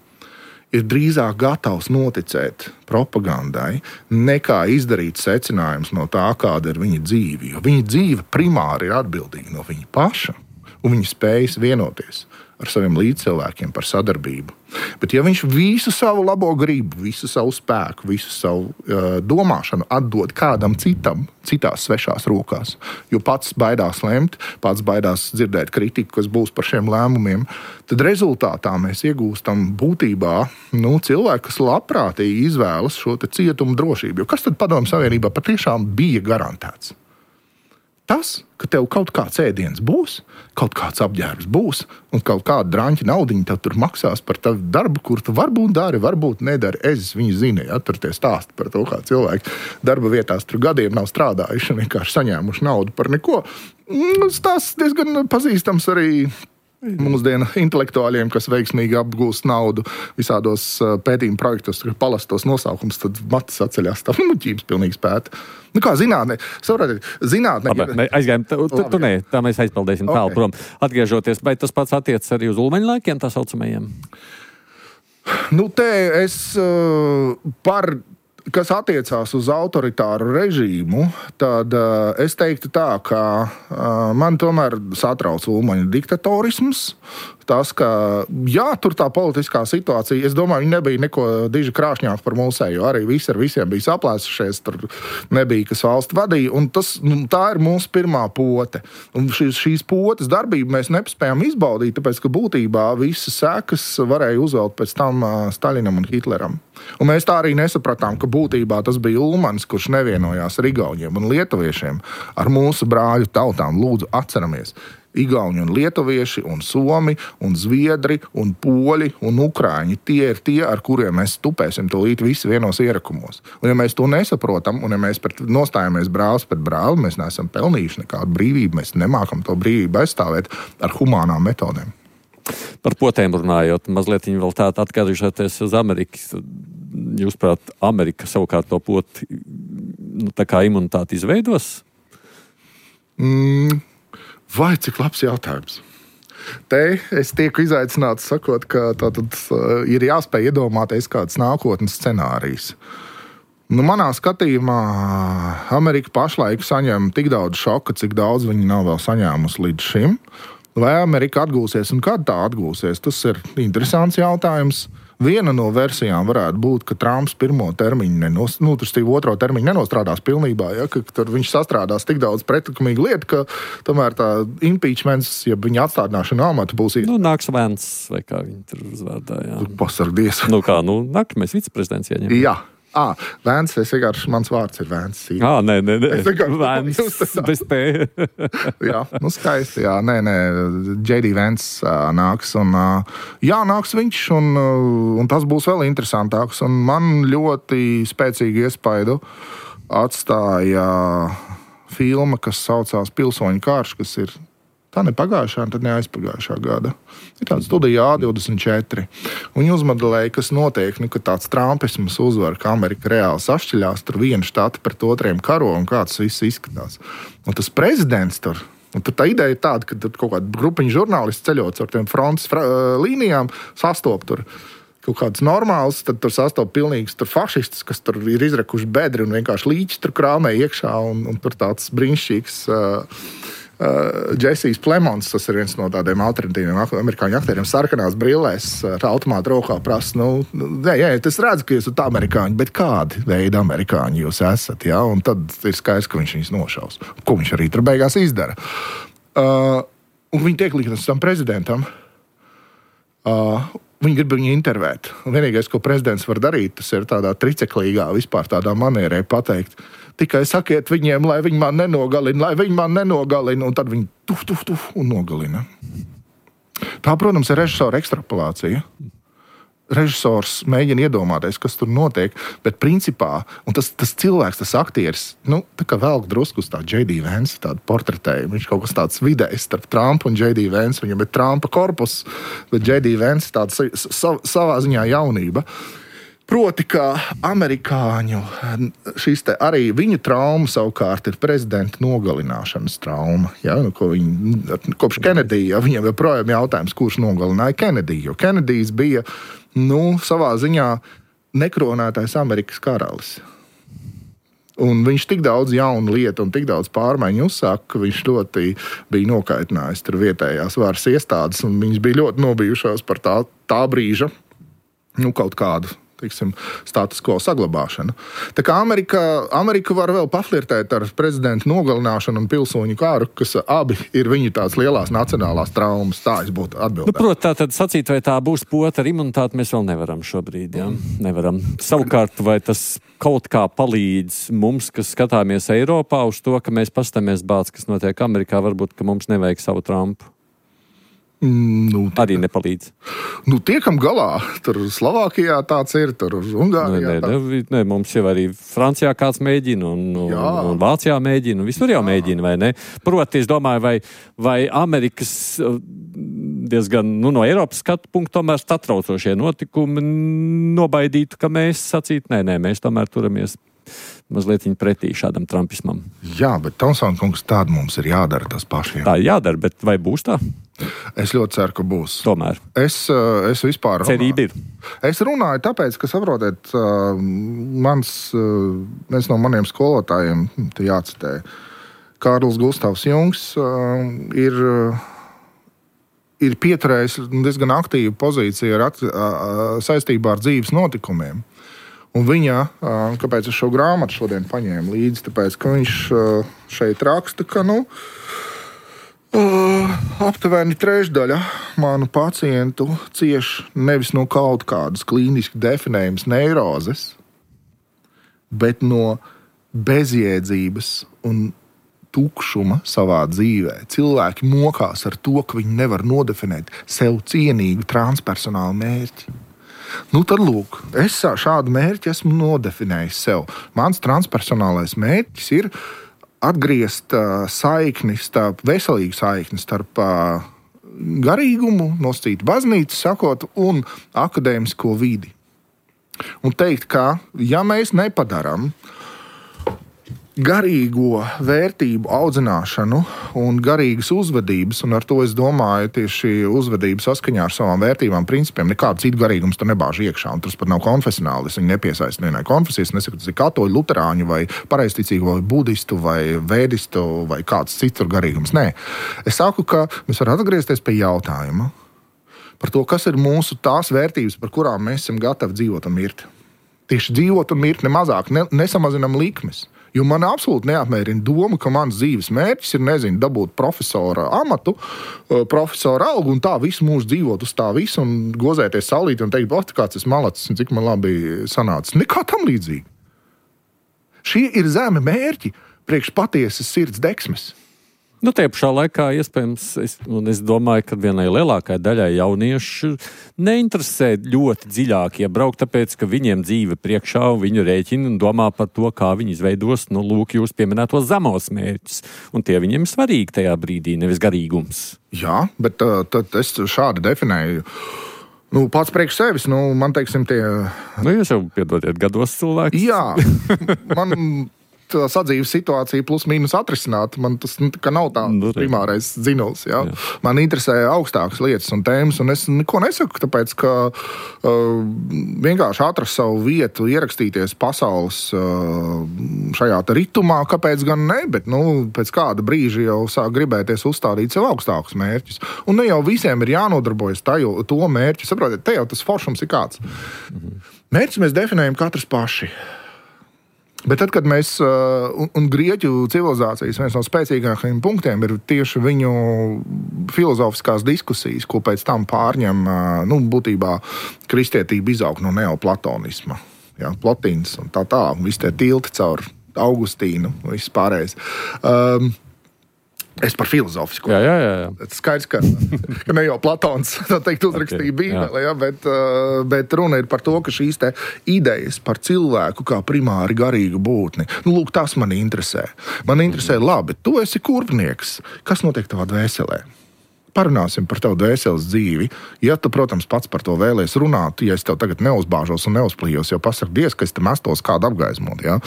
ir drīzāk gatavs noticēt propagandai, nekā izdarīt secinājumus no tā, kāda ir viņa dzīve. Jo viņa dzīve primāri ir atbildīga no viņa paša, un viņa spējas vienoties ar saviem līdzcilvēkiem par sadarbību. Bet ja viņš visu savu labo gribu, visu savu spēku, visu savu domāšanu atdod kādam citam, citās svešās rokās, jo pats baidās lemt, pats baidās dzirdēt kritiku, kas būs par šiem lēmumiem, tad rezultātā mēs iegūstam būtībā cilvēku, kas labprātīgi izvēlas šo te cietumu drošību. Jo kas tad Padomju Savienībā patiešām bija garantēts? Tas, ka tev kaut kāds ēdiens būs, kaut kāds apģērbs būs un kaut kāda draņķa naudiņa tev tur maksās par tavu darbu, kur tu varbūt dari, varbūt nedari. Es viņu zinu, ja tur tie stāsti par to, kā cilvēki darba vietās tur gadiem nav strādājuši un vienkārši saņēmuši naudu par neko. Tas diezgan pazīstams arī mūsdienu intelektuāļiem, kas veiksmīgi apgūst naudu visādos pētījumu projektos, kad palastos nosaukums, tad matas atceļās. Tā muļķības pilnīgi spēta. Kā zinātne? Zinātne. Aizgājam, tā mēs aizpildēsim tālu prom. Atgriežoties, vai tas pats attiecas arī uz ulmaņu laikiem, tā saucamajiem? Te es kas attiecās uz autoritāru režīmu, tad es teiktu tā, ka man tomēr satrauc ulmaņu diktatorisms. Tas, ka, tur tā politiskā situācija, es domāju, viņi nebija neko diži krāšņāk par mūsējo. Arī visi ar visiem bija saplēsušies, tur nebija, kas valsti vadīja. Un tā ir mūsu pirmā pote. Un šīs potes darbību mēs nespējām izbaudīt, tāpēc, ka būtībā visas sekas varēja uzvelt pēc tam Staļinam un Hitleram. Un mēs tā arī nesapratām, ka būtībā tas bija Ulmanis, kurš nevienojās ar igauņiem un lietuviešiem, ar mūsu brāļu tautām. Lūdzu, atceramies! Igauņi un lietuvieši, un somi, un zviedri, un poļi, un ukrāņi. Tie ir tie, ar kuriem mēs tupēsim tūlīt visi vienos ierakumos. Un ja mēs to nesaprotam, un ja mēs nostājamies brālis pret brāli, mēs neesam pelnījuši nekādu brīvību, mēs nemākam to brīvību aizstāvēt ar humānām metodēm. Par potēm runājot, mazliet viņi vēl tādu atkārtošoties uz Amerikas. Jūsuprāt, Amerika savukārt to poti tā kā imunitāti izveidos? Vai cik labs jautājums? Te es tieku izaicināts sakot, ka tātad ir jāspēj iedomāties kāds nākotnes scenārijs. Manā skatījumā Amerika pašlaik saņem tik daudz šoka, cik daudz viņi nav vēl saņēmusi līdz šim. Vai Amerika atgūsies un kad tā atgūsies? Tas ir interesants jautājums. Viena no versijām varētu būt, ka Trumps pirmo termiņu otro termiņu nenostrādās pilnībā, ka tur viņš sastrādās tik daudz pretlikumīgu lietu, ka tomēr tā impeachments, ja viņa atstādināšana amata būs nāks Vents, vai kā viņi tur uzvārdā, jā. Pasargdies. Nākamais viceprezidents ieņem. Jā. Vēns, es vienkārši, mans vārds ir Vēns. Nē. Es vienkārši Vēns, bez P. Jā, skaisti, jā. Nē, J.D. Vēns nāks. Nāks viņš, un tas būs vēl interesantāks. Un man ļoti spēcīgu iespaidu atstāja filma, kas saucās Pilsoņu karš, kas ir tā ne pagājušā, tad ne aizpagājušā gada. Ir tāda studija A24. Viņi uzmodelēja, kas notiek, ka tāds trumpisms uzvar, ka Amerika reāli sašķiļās, tur viena štata pret otriem karo un kā tas viss izskatās. Un tas prezidents tur, un tur tā ideja ir tāda, ka tur kaut kāda grupiņa žurnālisti ceļot ar tiem frontes līnijām, sastop tur kaut kāds normāls, tad tur sastop pilnīgs tur fašistus, kas tur ir izrekuši bedri un vienkārši līķi tur krāmē iekšā, un tur tāds brīnišķīgs Džesijs Plemons, tas ir viens no tādiem alternatīviem amerikāņu aktieriem, sarkanās brillēs ar automātu rokā prasa, tas redz, ka jūs esat amerikāņi, bet kādi veidi amerikāņi jūs esat, ja? Un tad ir skaidrs, ka viņš viņus nošaus. Ko viņš arī tur beigās izdara. Un viņi tiek liktas tam prezidentam. Viņi grib viņu intervēt. Un vienīgais, ko prezidents var darīt, tas ir tādā triceklīgā, vispār tādā manierē pateikt, tikai sakiet viņiem, lai viņi man nenogalina, un tad viņi tuf un nogalina. Tā, protams, ir režisora ekstrapolācija. Režisors mēģina iedomāties, kas tur notiek, bet principā, un tas cilvēks, tas aktieris, tā kā velk drusku uz tā J.D. Vance, tādu portretēju, viņš kaut kas tāds vidējs starp Trumpu un J.D. Vance, viņam ir Trumpa korpus, bet J.D. Vance tāds savā ziņā jaunība. Proti, ka amerikāņu arī viņu trauma savukārt ir prezidenta nogalināšanas trauma. Ja? Kopš Kenedija, viņam joprojām jautājums, kurš nogalināja Kenediju. Jo Kenedijs bija savā ziņā nekronētais Amerikas karalis. Un viņš tik daudz jaunu lietu un tik daudz pārmaiņu uzsāka, ka viņš ļoti bija nokaitinājis tur vietējās varas iestādes, un viņas bija ļoti nobijušās par tā brīža kaut kādu status quo saglabāšanu. Tā kā Amerika var vēl paflirtēt ar prezidentu nogalināšanu un pilsoņu kāru, kas abi ir viņu tās lielās nacionālās traumas. Tā es būtu atbildēt. Protams, tā tad sacīt, vai tā būs pota ar imunitāti, mēs vēl nevaram šobrīd. Ja? Nevaram. Savukārt, vai tas kaut kā palīdz mums, kas skatāmies Eiropā, uz to, ka mēs pastamies bāc, kas notiek Amerikā, varbūt, ka mums nevajag savu Trumpu? Arī nepalīdz. Tiekam galā. Tur Slovākijā tāds ir, tur Ungārijā. Nē, mums jau arī Francijā kāds mēģina, un Vācijā mēģina, un visur jau mēģina, vai ne? Proti, es domāju, vai Amerikas diezgan, no Eiropas skatu punktu tomēr satraucošie notikumi nobaidītu, ka mēs sacītu, nē, mēs tomēr turamies mazliet pretī šādam trumpismam. Jā, bet Tomsona kungs, tāda mums ir jādara tas pašiem. Tā jādara, bet vai būs tā? Es ļoti ceru, ka būs. Tomēr. Es vispār cerība ir. Es runāju tāpēc, ka saprotiet, viens no maniem skolotājiem, te jācitē, Kārlis Gustavs Jungs, ir pieturējis diezgan aktīvu pozīciju saistībā ar dzīves notikumiem. Un viņa, kāpēc es šo grāmatu šodien paņēmu līdzi, tāpēc, ka viņš šeit raksta, ka, aptuveni trešdaļa manu pacientu cieš nevis no kaut kādas klīniski definējamas neirozes, bet no bezjēdzības un tukšuma savā dzīvē. Cilvēki mokās ar to, ka viņi nevar nodefinēt sev cienīgu transpersonālu mērķi. Tad lūk, es šādu mērķi esmu nodefinējis sev. Mans transpersonālais mērķis ir atgriezt veselīgu saikni starp garīgumu, nosacīt baznīcu, sakot, un akadēmisko vidi. Un teikt, ka ja mēs nepadarām garīgo vērtību audzināšanu un garīgas uzvedības, un ar to es domāju tieši uzvedību saskaņā ar savām vērtībām, principiem, nekādu citu garīgumus tur nebāž iekšā, un tas pat nav konfesionāli, es viņu nepiesaist vienai konfesijas, nesaku, tas ir katoļu, luterāņu vai pareizticīgu vai budistu vai vēdistu vai kāds cits garīgums. Nē, es saku, ka mēs varam atgriezties pie jautājuma par to, kas ir mūsu tās vērtības, par kurām mēs esam gatavi dzīvot un mirt. Tieši dzīvot un mirt nemazāk, nesamazinam likmes. Jo man absolūti neapmierina doma, ka mans dzīves mērķis ir, nezinu, dabūt profesora amatu, profesora algu un tā visu mūžu dzīvot uz tā visu un gozēties saulīti un teikt, kāds es malacis un cik man labi sanācis. Nekā tam līdzīgi. Šie ir zemi mērķi priekš patiesas sirds deksmes. Nu, tie pašā laikā, iespējams, es domāju, ka vienai lielākai daļai jauniešu neinteresē ļoti dziļāk iebraukt, tāpēc, ka viņiem dzīve priekšā un viņu rēķina un domā par to, kā viņi izveidos, lūk, jūs pieminētos zemos mērķus. Un tie viņiem ir svarīgi tajā brīdī, nevis garīgums. Jā, bet tad es šādi definēju. Pats priekš sevis, man teiksim tie... Jūs jau piedodiet gados cilvēks. Jā, man... sadzīves situācija plus mīnus atrisināt. Man tas nav tā primārais dzinuls. Ja? Man interesē augstākas lietas un tēmas, un es neko nesaku, tāpēc, ka vienkārši atrast savu vietu, ierakstīties pasaules šajā ritumā, kāpēc gan ne, bet pēc kāda brīža jau sāk gribēties uzstādīt sev augstākus mērķus. Un ne jau visiem ir jānodarbojas to mērķu. Saprotiet, te jau tas foršums ir kāds. Mērķus mēs definējam katrs paši. Bet tad, kad mēs, un Grieķu civilizācijas viens no spēcīgākajiem punktiem ir tieši viņu filozofiskās diskusijas, ko pēc tam pārņem, būtībā kristietība izaug no neoplatonisma. Ja, Plotīns un tā, visi tie tilti caur Augustīnu, viss pārējais. Es par filozofisko. Jā. Skaidrs, ka ne jau Platons uzrakstīja Bībeli, bet runa ir par to, ka šīs te idejas par cilvēku kā primāri garīgu būtni. Lūk, tas mani interesē. Man interesē, labi, tu esi kurpnieks. Kas notiek tavā dvēselē? Parunāsim par tavu dvēseles dzīvi. Ja tu, protams, pats par to vēlies runāt, ja es tev tagad neuzbāžos un neuzplījos, jau pasaka Dievs, ka es te mestos kādu apgaismot. Ja?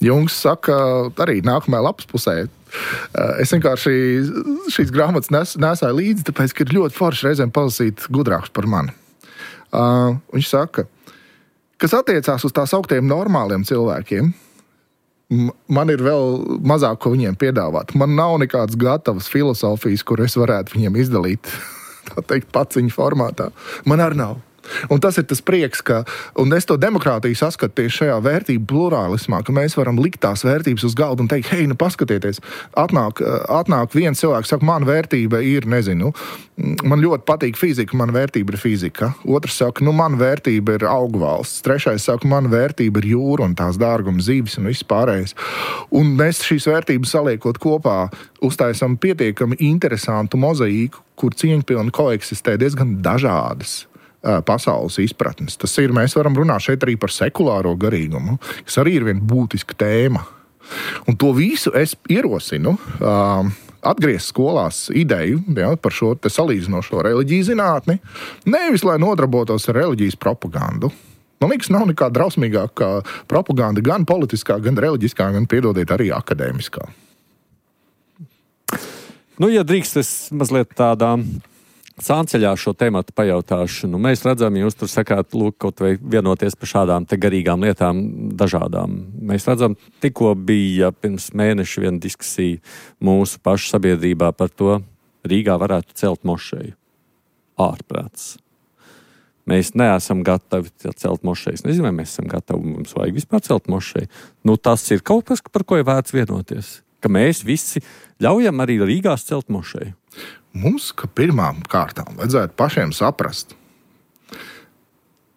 Jungs saka arī nākamajā lapas pusē. Es vienkārši šīs grāmatas nesāju līdzi, tāpēc, ka ir ļoti forši reizēm palasīt gudrāks par mani. Viņš saka, kas attiecās uz tās augtiem normāliem cilvēkiem, man ir vēl mazāk, ko viņiem piedāvāt. Man nav nekādas gatavas filosofijas, kur es varētu viņiem izdalīt, tā teikt, paciņu formātā. Man arī nav. Un tas ir tas prieks, un es to demokrātiju saskatu tieši šajā vērtību plurālismā, ka mēs varam likt tās vērtības uz galda un teikt, hei, paskatieties, atnāk viens cilvēks, saka, man vērtība ir, nezinu, man ļoti patīk fizika, man vērtība ir fizika. Otrs saka, man vērtība ir augvalsts. Trešais saka, man vērtība ir jūra un tās dārguma zivis un viss pārējais. Un mēs šīs vērtības saliekot kopā, uztaisam pietiekami interesantu mozaīku, kur cieņpilni koeksistē diezgan dažādas pasaules izpratnes. Tas ir, mēs varam runāt šeit arī par sekulāro garīgumu, kas arī ir viena būtiska tēma. Un to visu es ierosinu atgriezt skolās ideju par šo te salīdzinošo reliģiju zinātni, nevis, lai nodarbotos ar reliģijas propagandu. Man liekas, nav nekā drausmīgākā propaganda gan politiskā, gan reliģiskā, gan, piedodiet, arī akadēmiskā. Ja drīkst, es mazliet tādā sānceļā šo tematu pajautāšu. Mēs redzam, jūs tur sakāt, lūk, kaut vai vienoties par šādām te garīgām lietām dažādām. Mēs redzam, tikko bija pirms mēneša viena diskusija mūsu pašu sabiedrībā par to, Rīgā varētu celt mošeju. Ārprāts. Mēs neesam gatavi celt mošejas. Nezinu, vai mēs esam gatavi, mums vajag vispār celt mošeju. Tas ir kaut kas, par ko ir vērts vienoties. Ka mēs visi ļaujam arī Rīgās celt mošeju. Mums, ka pirmām kārtām vajadzētu pašiem saprast,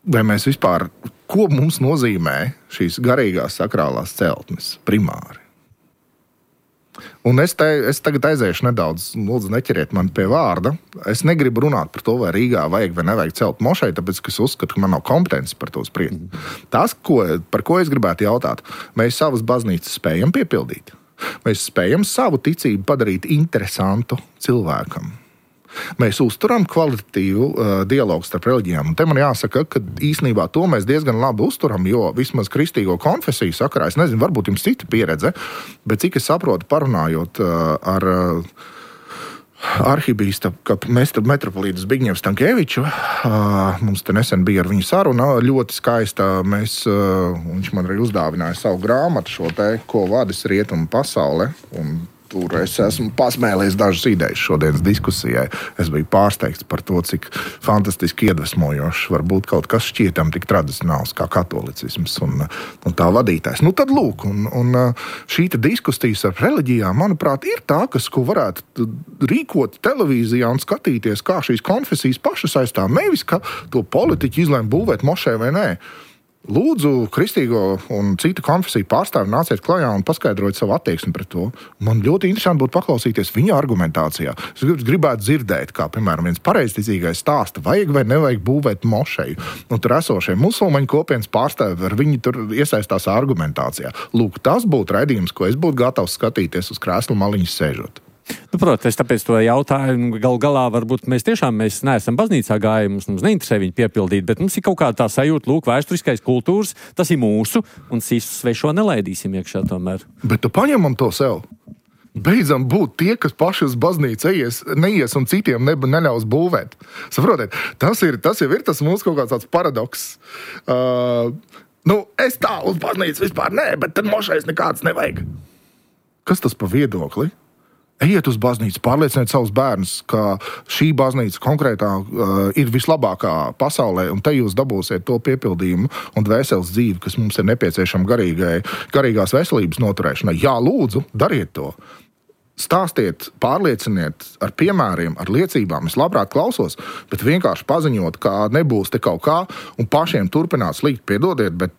vai mēs vispār, ko mums nozīmē šīs garīgās sakrālās celtnes primāri. Un es tagad aiziešu nedaudz, lūdzu, neķeriet mani pie vārda. Es negribu runāt par to, vai Rīgā vajag vai nevajag celt mošeju, tāpēc, ka es uzskatu, ka man nav kompetences par to spriest. Tas, par ko es gribētu jautāt, mēs savas baznīcas spējam piepildīt. Mēs spējam savu ticību padarīt interesantu cilvēkam. Mēs uzturam kvalitatīvu dialogu starp reliģijām. Un te man jāsaka, ka īstenībā to mēs diezgan labi uzturam, jo vismaz kristīgo konfesiju sakarā, es nezinu, varbūt jums cita pieredze, bet cik es saprotu, parunājot ar arhibīskapu metropolītu Zbigņevu Stankēviču, mums te nesen bija ar viņu saruna, ļoti skaista. Viņš man arī uzdāvināja savu grāmatu, šo te, ko vadis rietumu pasaule, un Tur es esmu pasmēlies dažas idejas šodienas diskusijai. Es biju pārsteigts par to, cik fantastiski iedvesmojošs var būt kaut kas šķietam tik tradicionāls kā katolicisms un tā vadītājs. Nu tad lūk, un šī diskusijas ar reliģijām, manuprāt, ir tā, ko varētu rīkot televīzijā un skatīties, kā šīs konfesijas pašas aizstāv. Nevis, ka to politiķi izlēma būvēt mošē vai nē. Lūdzu, kristīgo un citu konfesiju pārstāvi nāciet klajā un paskaidrojiet savu attieksmi pret to. Man ļoti interesanti būtu paklausīties viņa argumentācijā. Es gribētu dzirdēt, kā, piemēram, viens pareizticīgais stāsta, vajag vai nevajag būvēt mošeju. Un tur esošie musulmaņu kopienas pārstāvi, viņi tur iesaistās argumentācijā. Lūk, tas būtu raidījums, ko es būtu gatavs skatīties uz krēsla maliņas sēžot. Nu, protams, tāpēc to jautāju. Galā varbūt mēs neesam baznīcā gājuši, mums neinteresē viņu piepildīt, bet mums ir kaut kā tā sajūta, lūk, vēsturiskais kultūras, tas ir mūsu, un citu svešo nelaidīsim iekšā tomēr. Bet tu paņemam to sev. Beidzam būt tie, kas paši uz baznīcu neies un citiem neļaus būvēt. Saprotiet, tas jau ir tas mūsu kaut kāds tāds paradoks. Es tā uz baznīcu vispār nē, bet tad mošais nekāds nevajag. Kas tas pa viedokli? Ejiet uz baznīcu, pārlieciniet savus bērnus, ka šī baznīca konkrētā ir vislabākā pasaulē, un te jūs dabūsiet to piepildījumu un dvēseles dzīvi, kas mums ir nepieciešama garīgās veselības noturēšanai. Jā, lūdzu, dariet to. Stāstiet, pārlieciniet ar piemēriem, ar liecībām. Es labprāt klausos, bet vienkārši paziņot, ka nebūs te kaut kā, un pašiem turpināt slīgt, piedodiet, bet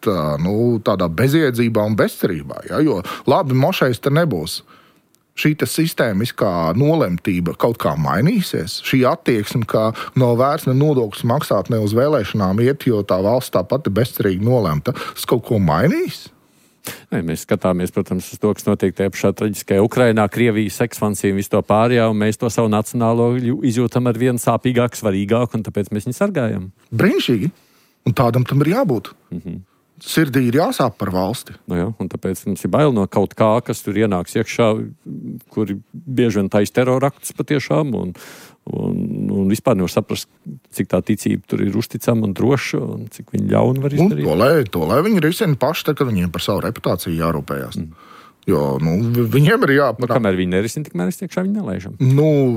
tādā bezjēdzībā un bezcerībā. Ja? Jo labi, mošais te nebūs. Šī sistēmiskā nolemtība kaut kā mainīsies. Šī attieksme, ka nav vērts ne nodokļus maksāt, ne uz vēlēšanām iet, jo tā valsts tāpat ir bezcerīgi nolemta. Tas kaut ko mainīs? Ne, mēs skatāmies, protams, uz to, kas notiek tajā pašā traģiskajā Ukrainā, Krievijas ekspansija un visu to pārējā, un mēs to savu nacionālo izjūtam ar vien sāpīgāk, svarīgāk, un tāpēc mēs viņu sargājam. Brīnišķīgi. Un tādam tam ir jābūt. Sirdī ir jāsāp par valsti. Jā, un tāpēc mums ir bail no kaut kā, kas tur ienāks iekšā, kuri bieži vien taisa teroraktus patiešām, un vispār nevar saprast, cik tā ticība tur ir uzticama un droša, un cik viņi ļauni var izdarīt. To lai viņi risina paši, tad, kad viņiem par savu reputāciju jārūpējās. Jo, viņiem ir jāpanāk. Kamēr viņi nerisina, tikmēr iekšā viņi nelaižam.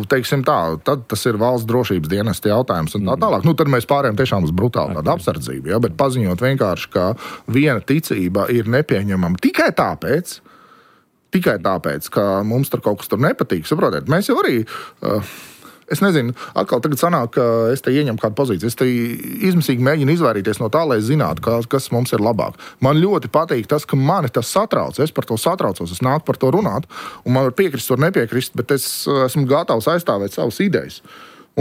Teiksim tā, tad tas ir valsts drošības dienesta jautājums un tā tālāk. Tad mēs pārējām tiešām uz brutālu tādu apsardzību, ja? Bet paziņot vienkārši, ka viena ticība ir nepieņemama tikai tāpēc, ka mums tur kaut kas tur nepatīk. Saprotiet, mēs jau arī... Es nezinu, atkal tagad sanāk, ka es te ieņemu kādu pozīciju. Es te izmisīgi mēģinu izvairīties no tā, lai zinātu, kas mums ir labāk. Man ļoti patīk tas, ka mani tas satrauc. Es par to satraucos, es nāku par to runāt. Un man var piekrist, var nepiekrist, bet es esmu gatavs aizstāvēt savas idejas.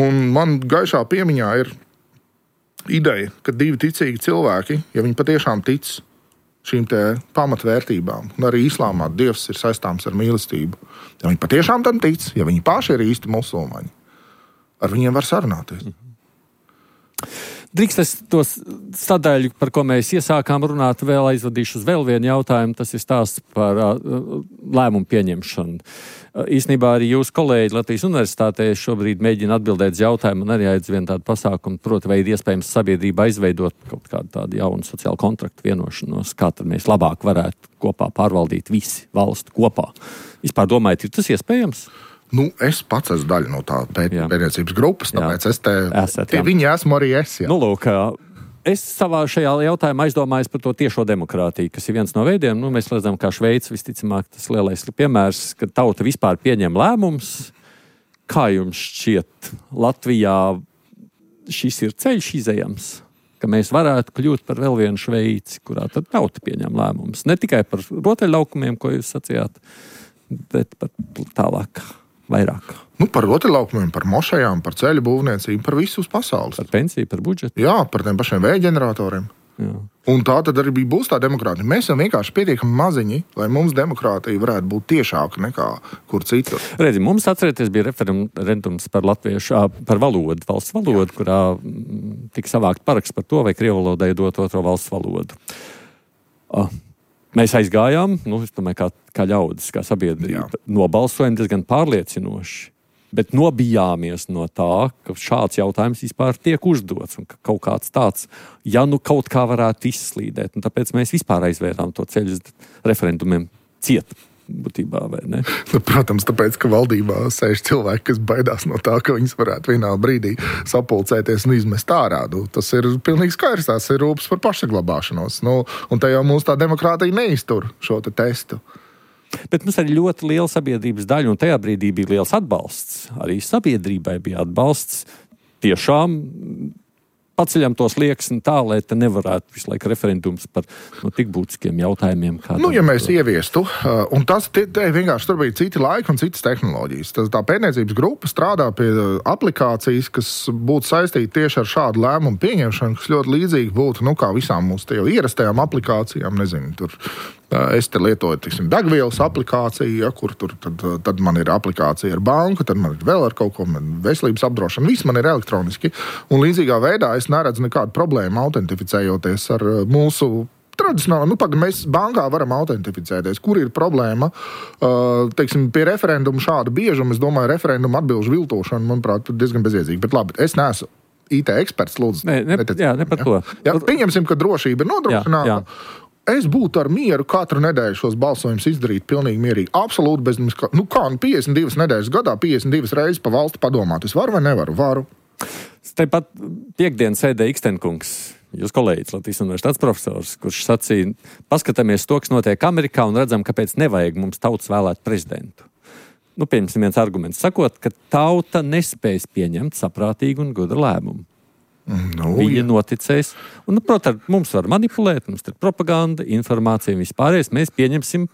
Un man gaišā piemiņā ir ideja, ka divi ticīgi cilvēki, ja viņi patiešām tic šīm te pamatvērtībām, un arī islāmā Dievs ir saistāms ar mīlestību. Ja viņi patiešām tam tic, ja viņi paši ir īsti musulmaņi, ar viņiem var sarunāties. Drīkst es to sadaļu, par ko mēs iesākām runāt, vēl aizvadīšu uz vēl vienu jautājumu. Tas ir stāsts par lēmumu pieņemšanu. Īsnībā arī jūs kolēģi Latvijas Universitātē šobrīd mēģina atbildēt uz jautājumu un arī aizvien tādu pasākumu, proti, vai ir iespējams sabiedrība izveidot kaut kādu tādu jaunu sociālu kontraktu vienošanos, kā tad mēs labāk varētu kopā pārvaldīt visi valstu kopā. Vispār domājat, ir tas iespējams? Es pats esmu daļa no tā pētniecības grupas, tāpēc viņi esmu arī es. Jā. Lūk, es savā šajā jautājumā aizdomājos par to tiešo demokrātiju, kas ir viens no veidiem. Mēs redzam, kā Šveice visticamāk tas lielais piemērs, ka tauta vispār pieņem lēmums. Kā jums šķiet, Latvijā šis ir ceļš izejams, ka mēs varētu kļūt par vēl vienu Šveici, kurā tad tauta pieņem lēmumus? Ne tikai par rotaļlaukumiem, ko jūs sacījāt, bet par tālāk. Vairāk. Par rotaļlaukumiem, par mošajām, par ceļu būvniecību, par visu uz pasaules. Par pensiju, par budžetu. Jā, par tiem pašiem vēja ģeneratoriem. Jā. Un tā tad arī būs tā demokrātija. Mēs esam vienkārši pietiekami maziņi, lai mums demokrātija varētu būt tiešāka nekā kur citur. Redzi, mums atcerieties bija referendums par latviešu, par valodu, valsts valodu, jā, kurā tika savākt paraksts par to, vai krievu valodai dot otro valsts valodu. Mēs aizgājām, es domāju, kā ļaudis, kā sabiedrība, nobalsojam diezgan pārliecinoši, bet nobijāmies no tā, ka šāds jautājums vispār tiek uzdots un ka kaut kāds tāds, kaut kā varētu izslīdēt. Un tāpēc mēs vispār aizvērām to ceļu referendumiem ciet. būtībā, vai ne? Protams, tāpēc, ka valdībā sēž cilvēki, kas baidās no tā, ka viņas varētu vienā brīdī sapulcēties un izmest ārā. Tas ir pilnīgi skaidrs, tās ir rūpes par pašsaglabāšanos. Un te jau mūsu tā demokrātija neiztur šo testu. Bet mums arī ļoti liela sabiedrības daļa, un tajā brīdī bija liels atbalsts. Arī sabiedrībai bija atbalsts. Tiešām paceļam tos slieksni tā, lai te nevarētu visu laiku referendums par tik būtiskiem jautājumiem. Ja mēs ieviestu, un tas vienkārši tur bija citi laiki un citas tehnoloģijas. Tā pētniecības grupa strādā pie aplikācijas, kas būtu saistīta tieši ar šādu lēmumu pieņemšanu, kas ļoti līdzīgi būtu, kā visām mūsu ierastajām aplikācijām, nezinu, tur. Es te lietoju, degvielas aplikāciju, kur tad man ir aplikācija ar banku, tad man ir vēl ar kaut ko, veselības apdrošināšanu, viss man ir elektroniski. Un līdzīgā veidā es neredzu nekādu problēmu autentificējoties ar mūsu tradicionāli, mēs bankā varam autentificēties. Kur ir problēma? Pie referendumu šāda biežuma, es domāju, referendumu atbilžu viltošana, manuprāt, diezgan bezjēdzīga. Bet labi, es neesmu IT eksperts, lūdzu. Ne par to. Jā, pieņemsim, ka drošība ir nodrošināta. Jā. Es būtu ar mieru katru nedēļu šos balsojumus izdarīt pilnīgi mierīgi. Absolūti bez mums. 52 nedēļas gadā, 52 reizes pa valsti padomāt. Es varu vai nevaru? Varu. Tāpat piekdien sēdēja Ikstenkungs, jūs kolēģis, Latvijas universitātes profesors, kurš sacīja, paskatāmies to, kas notiek Amerikā un redzam, kāpēc nevajag mums tautas vēlēt prezidentu. Pieņemsim viens arguments, sakot, ka tauta nespēs pieņemt saprātīgu un gudru lēmumu. Viņa noticēs. Un, protams, mums var manipulēt, mums ir propaganda, informācija un vispārējais. Mēs pieņemsim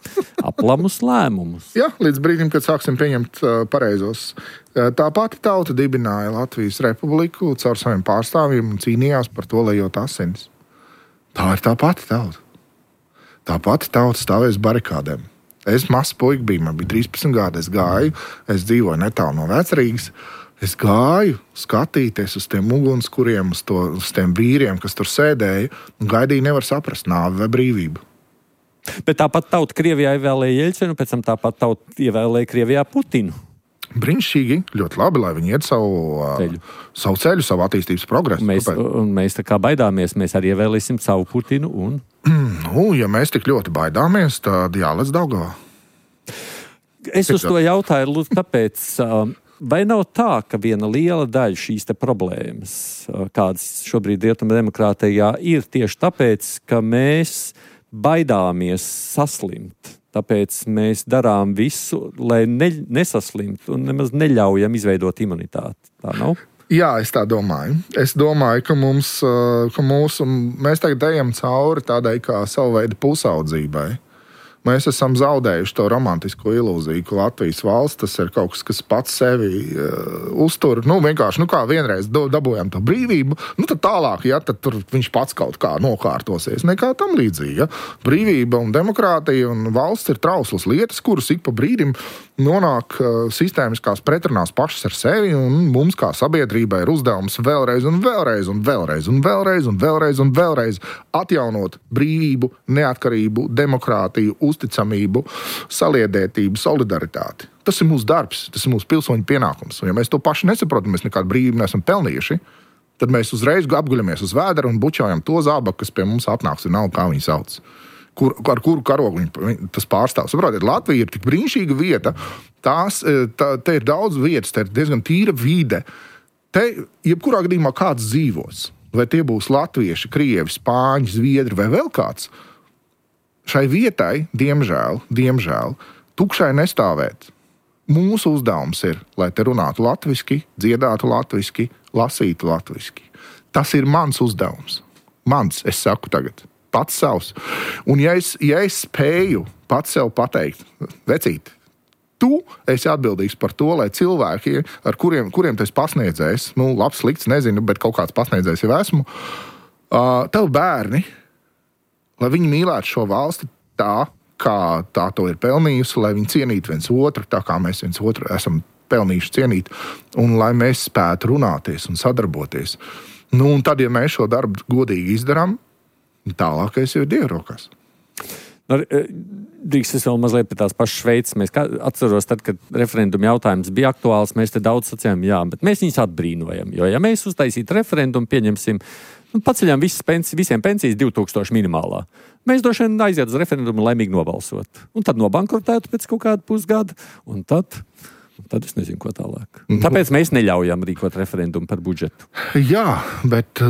aplamus lēmumus. Jā, līdz brīdim, kad sāksim pieņemt pareizos. Tā pati tauta dibināja Latvijas republiku caur saviem pārstāvjiem un cīnījās par to, lai jūt asinis. Tā ir tā pati tauta. Tā pati tauta stāvēs barikādēm. Es mazs puika biju, man bija 13 gadi, es dzīvoju netālu no Vecrīgas. Es gāju skatīties uz tiem ugunskuriem, uz tiem vīriem, kas tur sēdēja, un gaidīju, nevar saprast nāvi vai brīvību. Bet tāpat tauta Krievijā ievēlēja Jeļcinu, pēc tam tāpat tauta ievēlēja Krievijā Putinu. Brīnišķīgi, ļoti labi, lai viņi iet savu ceļu, savu attīstības progresu. Mēs tā kā baidāmies, mēs arī ievēlēsim savu Putinu. Ja mēs tik ļoti baidāmies, tad jālec Daugavā. Es uz to jautāju, tāpēc... Vai nav tā, ka viena liela daļa šīs problēmas, kādas šobrīd rietumu demokrātijā, ir tieši tāpēc, ka mēs baidāmies saslimt? Tāpēc mēs darām visu, lai nesaslimtu un nemaz neļaujam izveidot imunitāti. Tā nav? Jā, es tā domāju. Es domāju, ka mēs tagad ejam cauri tādai kā savu veidu pusaudzībai. Mēs esam zaudējuši to romantisko ilūziju, ka Latvijas valsts tas ir kaut kas, kas pats sevi uztur. Vienkārši, kā vienreiz dabūjām to brīvību, tad tālāk, tad tur viņš pats kaut kā nokārtosies. Nekā tam līdzīgi. Ja? Brīvība un demokrātija un valsts ir trauslas lietas, kuras ik pa brīdim nonāk sistēmiskās pretrunās pašas ar sevi, un mums kā sabiedrībai ir uzdevums vēlreiz un vēlreiz un vēlreiz un vēlreiz un vēlreiz un vēlreiz atjaunot brīvību, neatkarību, demokrātiju, uzticamību, saliedētību, solidaritāti. Tas ir mūsu darbs, tas ir mūsu pilsoņu pienākums. Un ja mēs to paši nesaprotam, mēs nekādu brīvību neesam pelnījuši, tad mēs uzreiz apguļamies uz vēdera un bučojam to zābaku, kas pie mums atnāks, un nav kā viņi sauc. Ar kuru karogu tas pārstāv. Saprotiet, Latvija ir tik brīnišķīga vieta, te ir daudz vietas, te ir diezgan tīra vide. Te, jebkurā gadījumā kāds dzīvos, vai tie būs latvieši, krievi, spāņi, zviedri vai vēl kāds, šai vietai, diemžēl, tukšai nestāvēt. Mūsu uzdevums ir, lai te runātu latviski, dziedātu latviski, lasītu latviski. Tas ir mans uzdevums. Mans, es saku tagad. Pats savs. Un ja es spēju pats sev pateikt, vecīt, tu esi atbildīgs par to, lai cilvēki, ar kuriem tu esi pasniedzējis, labs, slikts, nezinu, bet kaut kāds pasniedzējis jau esmu, tev bērni, lai viņi mīlētu šo valsti tā, kā tā to ir pelnījusi, lai viņi cienītu viens otru, tā kā mēs viens otru esam pelnījuši cienīt, un lai mēs spētu runāties un sadarboties. Un tad, ja mēs šo darbu godīgi izdarām, tālākais jau ir Dieva rokās. Drīkst es vēl mazliet pie tās pašas Šveices. Mēs atceros, tad, kad referenduma jautājums bija aktuāls, mēs te daudz sacījām, jā, bet mēs viņus atbrīnojam. Jo, ja mēs uztaisītu referendumu, pieņemsim, Paceļām visiem pensijas 2000 minimālā. Mēs droši vien aiziet uz referendumu laimīgi nobalsot. Un tad nobankrotētu pēc kaut kāda pusgada, un tad es nezinu, ko tālāk. Tāpēc mēs neļaujam rīkot referendumu par budžetu. Jā, bet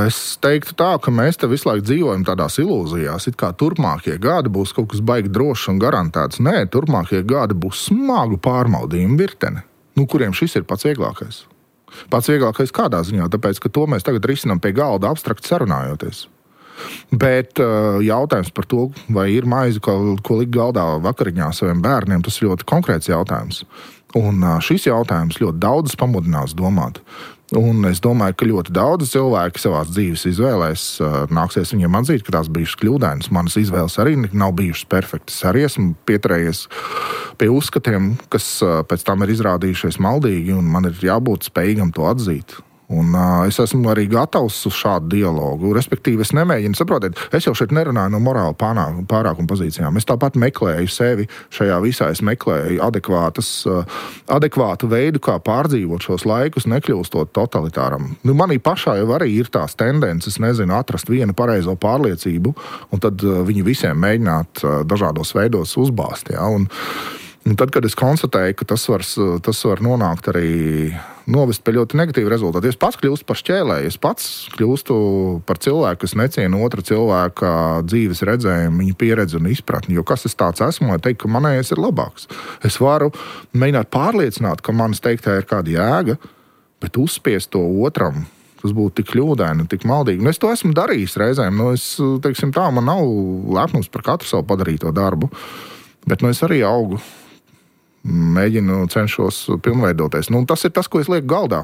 es teiktu tā, ka mēs te visu laiku dzīvojam tādās ilūzijās, it kā turpmākie gadi būs kaut kas baigi drošs un garantēts. Nē, turpmākie gadi būs smagu pārbaudījumu virtene, kuriem šis ir pats vieglākais. Pats vieglākais kādā ziņā, tāpēc, ka to mēs tagad risinām pie galda abstrakti sarunājoties. Bet jautājums par to, vai ir maize, ko likt galdā vakariņā saviem bērniem, tas ir ļoti konkrēts jautājums. Un šis jautājums ļoti daudz pamudinās domāt. Un es domāju, ka ļoti daudz cilvēki savās dzīves izvēlēs nāksies viņiem atzīt, ka tās bijušas kļūdainas. Manas izvēles arī nav bijušas perfektas. Arī esmu pieturējies pie uzskatiem, kas pēc tam ir izrādījušies maldīgi, un man ir jābūt spējīgam to atzīt. Un es esmu arī gatavs uz šādu dialogu. Respektīvi, es nemēģinu, saprotiet, es jau šeit nerunāju no morāla pārākuma pozīcijām. Es tāpat meklēju sevi šajā visā. Es meklēju adekvātu veidu, kā pārdzīvot šos laikus, nekļūstot totalitāram. Manī pašā jau arī ir tās tendences, atrast vienu pareizo pārliecību, un tad viņu visiem mēģināt dažādos veidos uzbāzt. Ja? Un tad, kad es konstatēju, ka tas var nonākt arī novest pie ļoti negatīva rezultāta, es pats kļūstu par šķēlēju, es pats kļūstu par cilvēku, kas neciena otra cilvēka dzīves redzējumu, viņa pieredzi un izpratni. Jo kas es tāds esmu, lai teikt, ka manējais ir labāks. Es varu mēģināt pārliecināt, ka manis teiktā ir kāda jēga, bet uzspiest to otram, tas būtu tik kļūdaini, tik maldīgi. Un es to esmu darījis reizēm. Man nav lepnums par katru savu padarīto darbu, bet es arī augu. Cenšos pilnveidoties. Tas ir tas, ko es lieku galdā.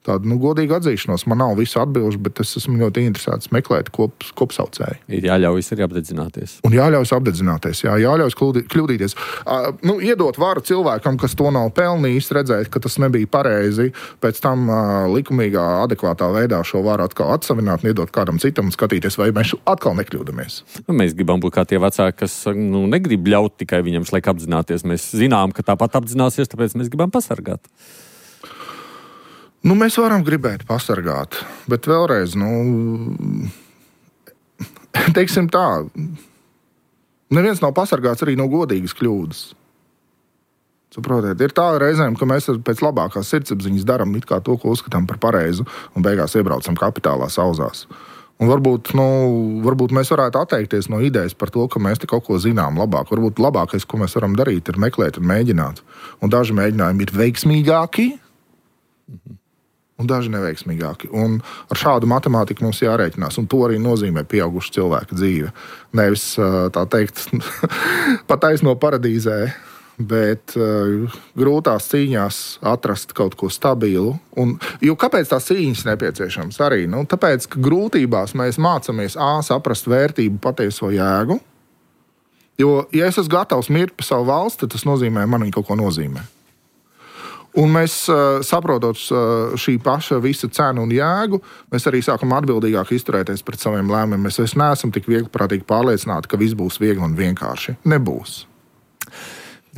Tāda godīga atzīšanos. Man nav visu atbilžu, bet es esmu ļoti interesēts meklēt kopsaucēju. Ir jāļaujas arī apdedzināties. Un jāļaujas apdedzināties, jāļaujas kļūdīties. Iedot varu cilvēkam, kas to nav pelnījis, redzēt, ka tas nebija pareizi, pēc tam likumīgā, adekvātā veidā šo varu atkal atsavināt, iedot kādam citam un skatīties, vai mēs atkal nekļūdamies. Mēs gribam būt kā tie vecāki, kas negrib ļaut tikai viņam šlaik apzināties. Mēs zinām, ka tāpat apzināsies, tāpēc mēs gribam pasargāt. Mēs varam gribēt pasargāt, bet vēlreiz, teiksim tā, neviens nav pasargāts arī no godīgas kļūdas. Saprotiet, ir tā reizēm, ka mēs pēc labākās sirdsapziņas darām it kā to, ko uzskatām par pareizu, un beigās iebraucam kapitālā sauzās. Un varbūt mēs varētu atteikties no idejas par to, ka mēs te kaut ko zinām labāk. Varbūt labākais, ko mēs varam darīt, ir meklēt un mēģināt. Un daži mēģinājumi ir veiksmīgāki, un daži neveiksmīgāki. Un ar šādu matemātiku mums jārēķinās, un to arī nozīmē pieauguša cilvēka dzīve. Nevis, tā teikt, pataisno paradīzē, bet grūtās cīņās atrast kaut ko stabilu. Jo kāpēc tās cīņas nepieciešams arī? Tāpēc, ka grūtībās mēs mācāmies saprast vērtību, patieso jēgu. Jo, ja es esmu gatavs mirt par savu valsti, tad tas nozīmē, man viņa kaut ko nozīmē. Un mēs, saprotot šī paša visa cenu un jēgu, mēs arī sākam atbildīgāk izturēties pret saviem lēmumiem. Mēs vairs neesam tik viegliprātīgi pārliecināti, ka viss būs viegli un vienkārši. Nebūs.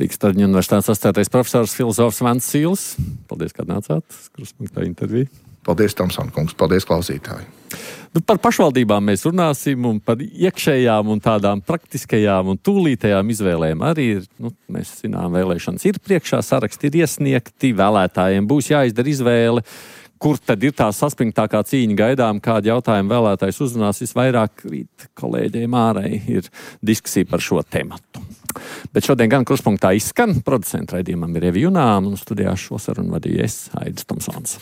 Rīgas Traģiņu universitātes asociētais profesors, filozofs Vents Sīls. Paldies, ka nācāt. Krustpunktā interviju. Paldies, Tomson kungs. Paldies, klausītāji. Par pašvaldībām mēs runāsim un par iekšējām un tādām praktiskajām un tūlītējām izvēlēm arī ir, mēs zinām, vēlēšanas ir priekšā, saraksti ir iesniegti, vēlētājiem būs jāizdara izvēle, kur tad ir tā saspringtākā cīņa gaidām, kādu jautājumu vēlētājs uzrunās visvairāk. Rīt kolēģiem ārēji ir diskusija par šo tematu. Bet šodien gan Krustpunktā izskan, producentu raidījumam ir Evi Junām un studijā šo sarunu vadīju es, Aidis Tomsons.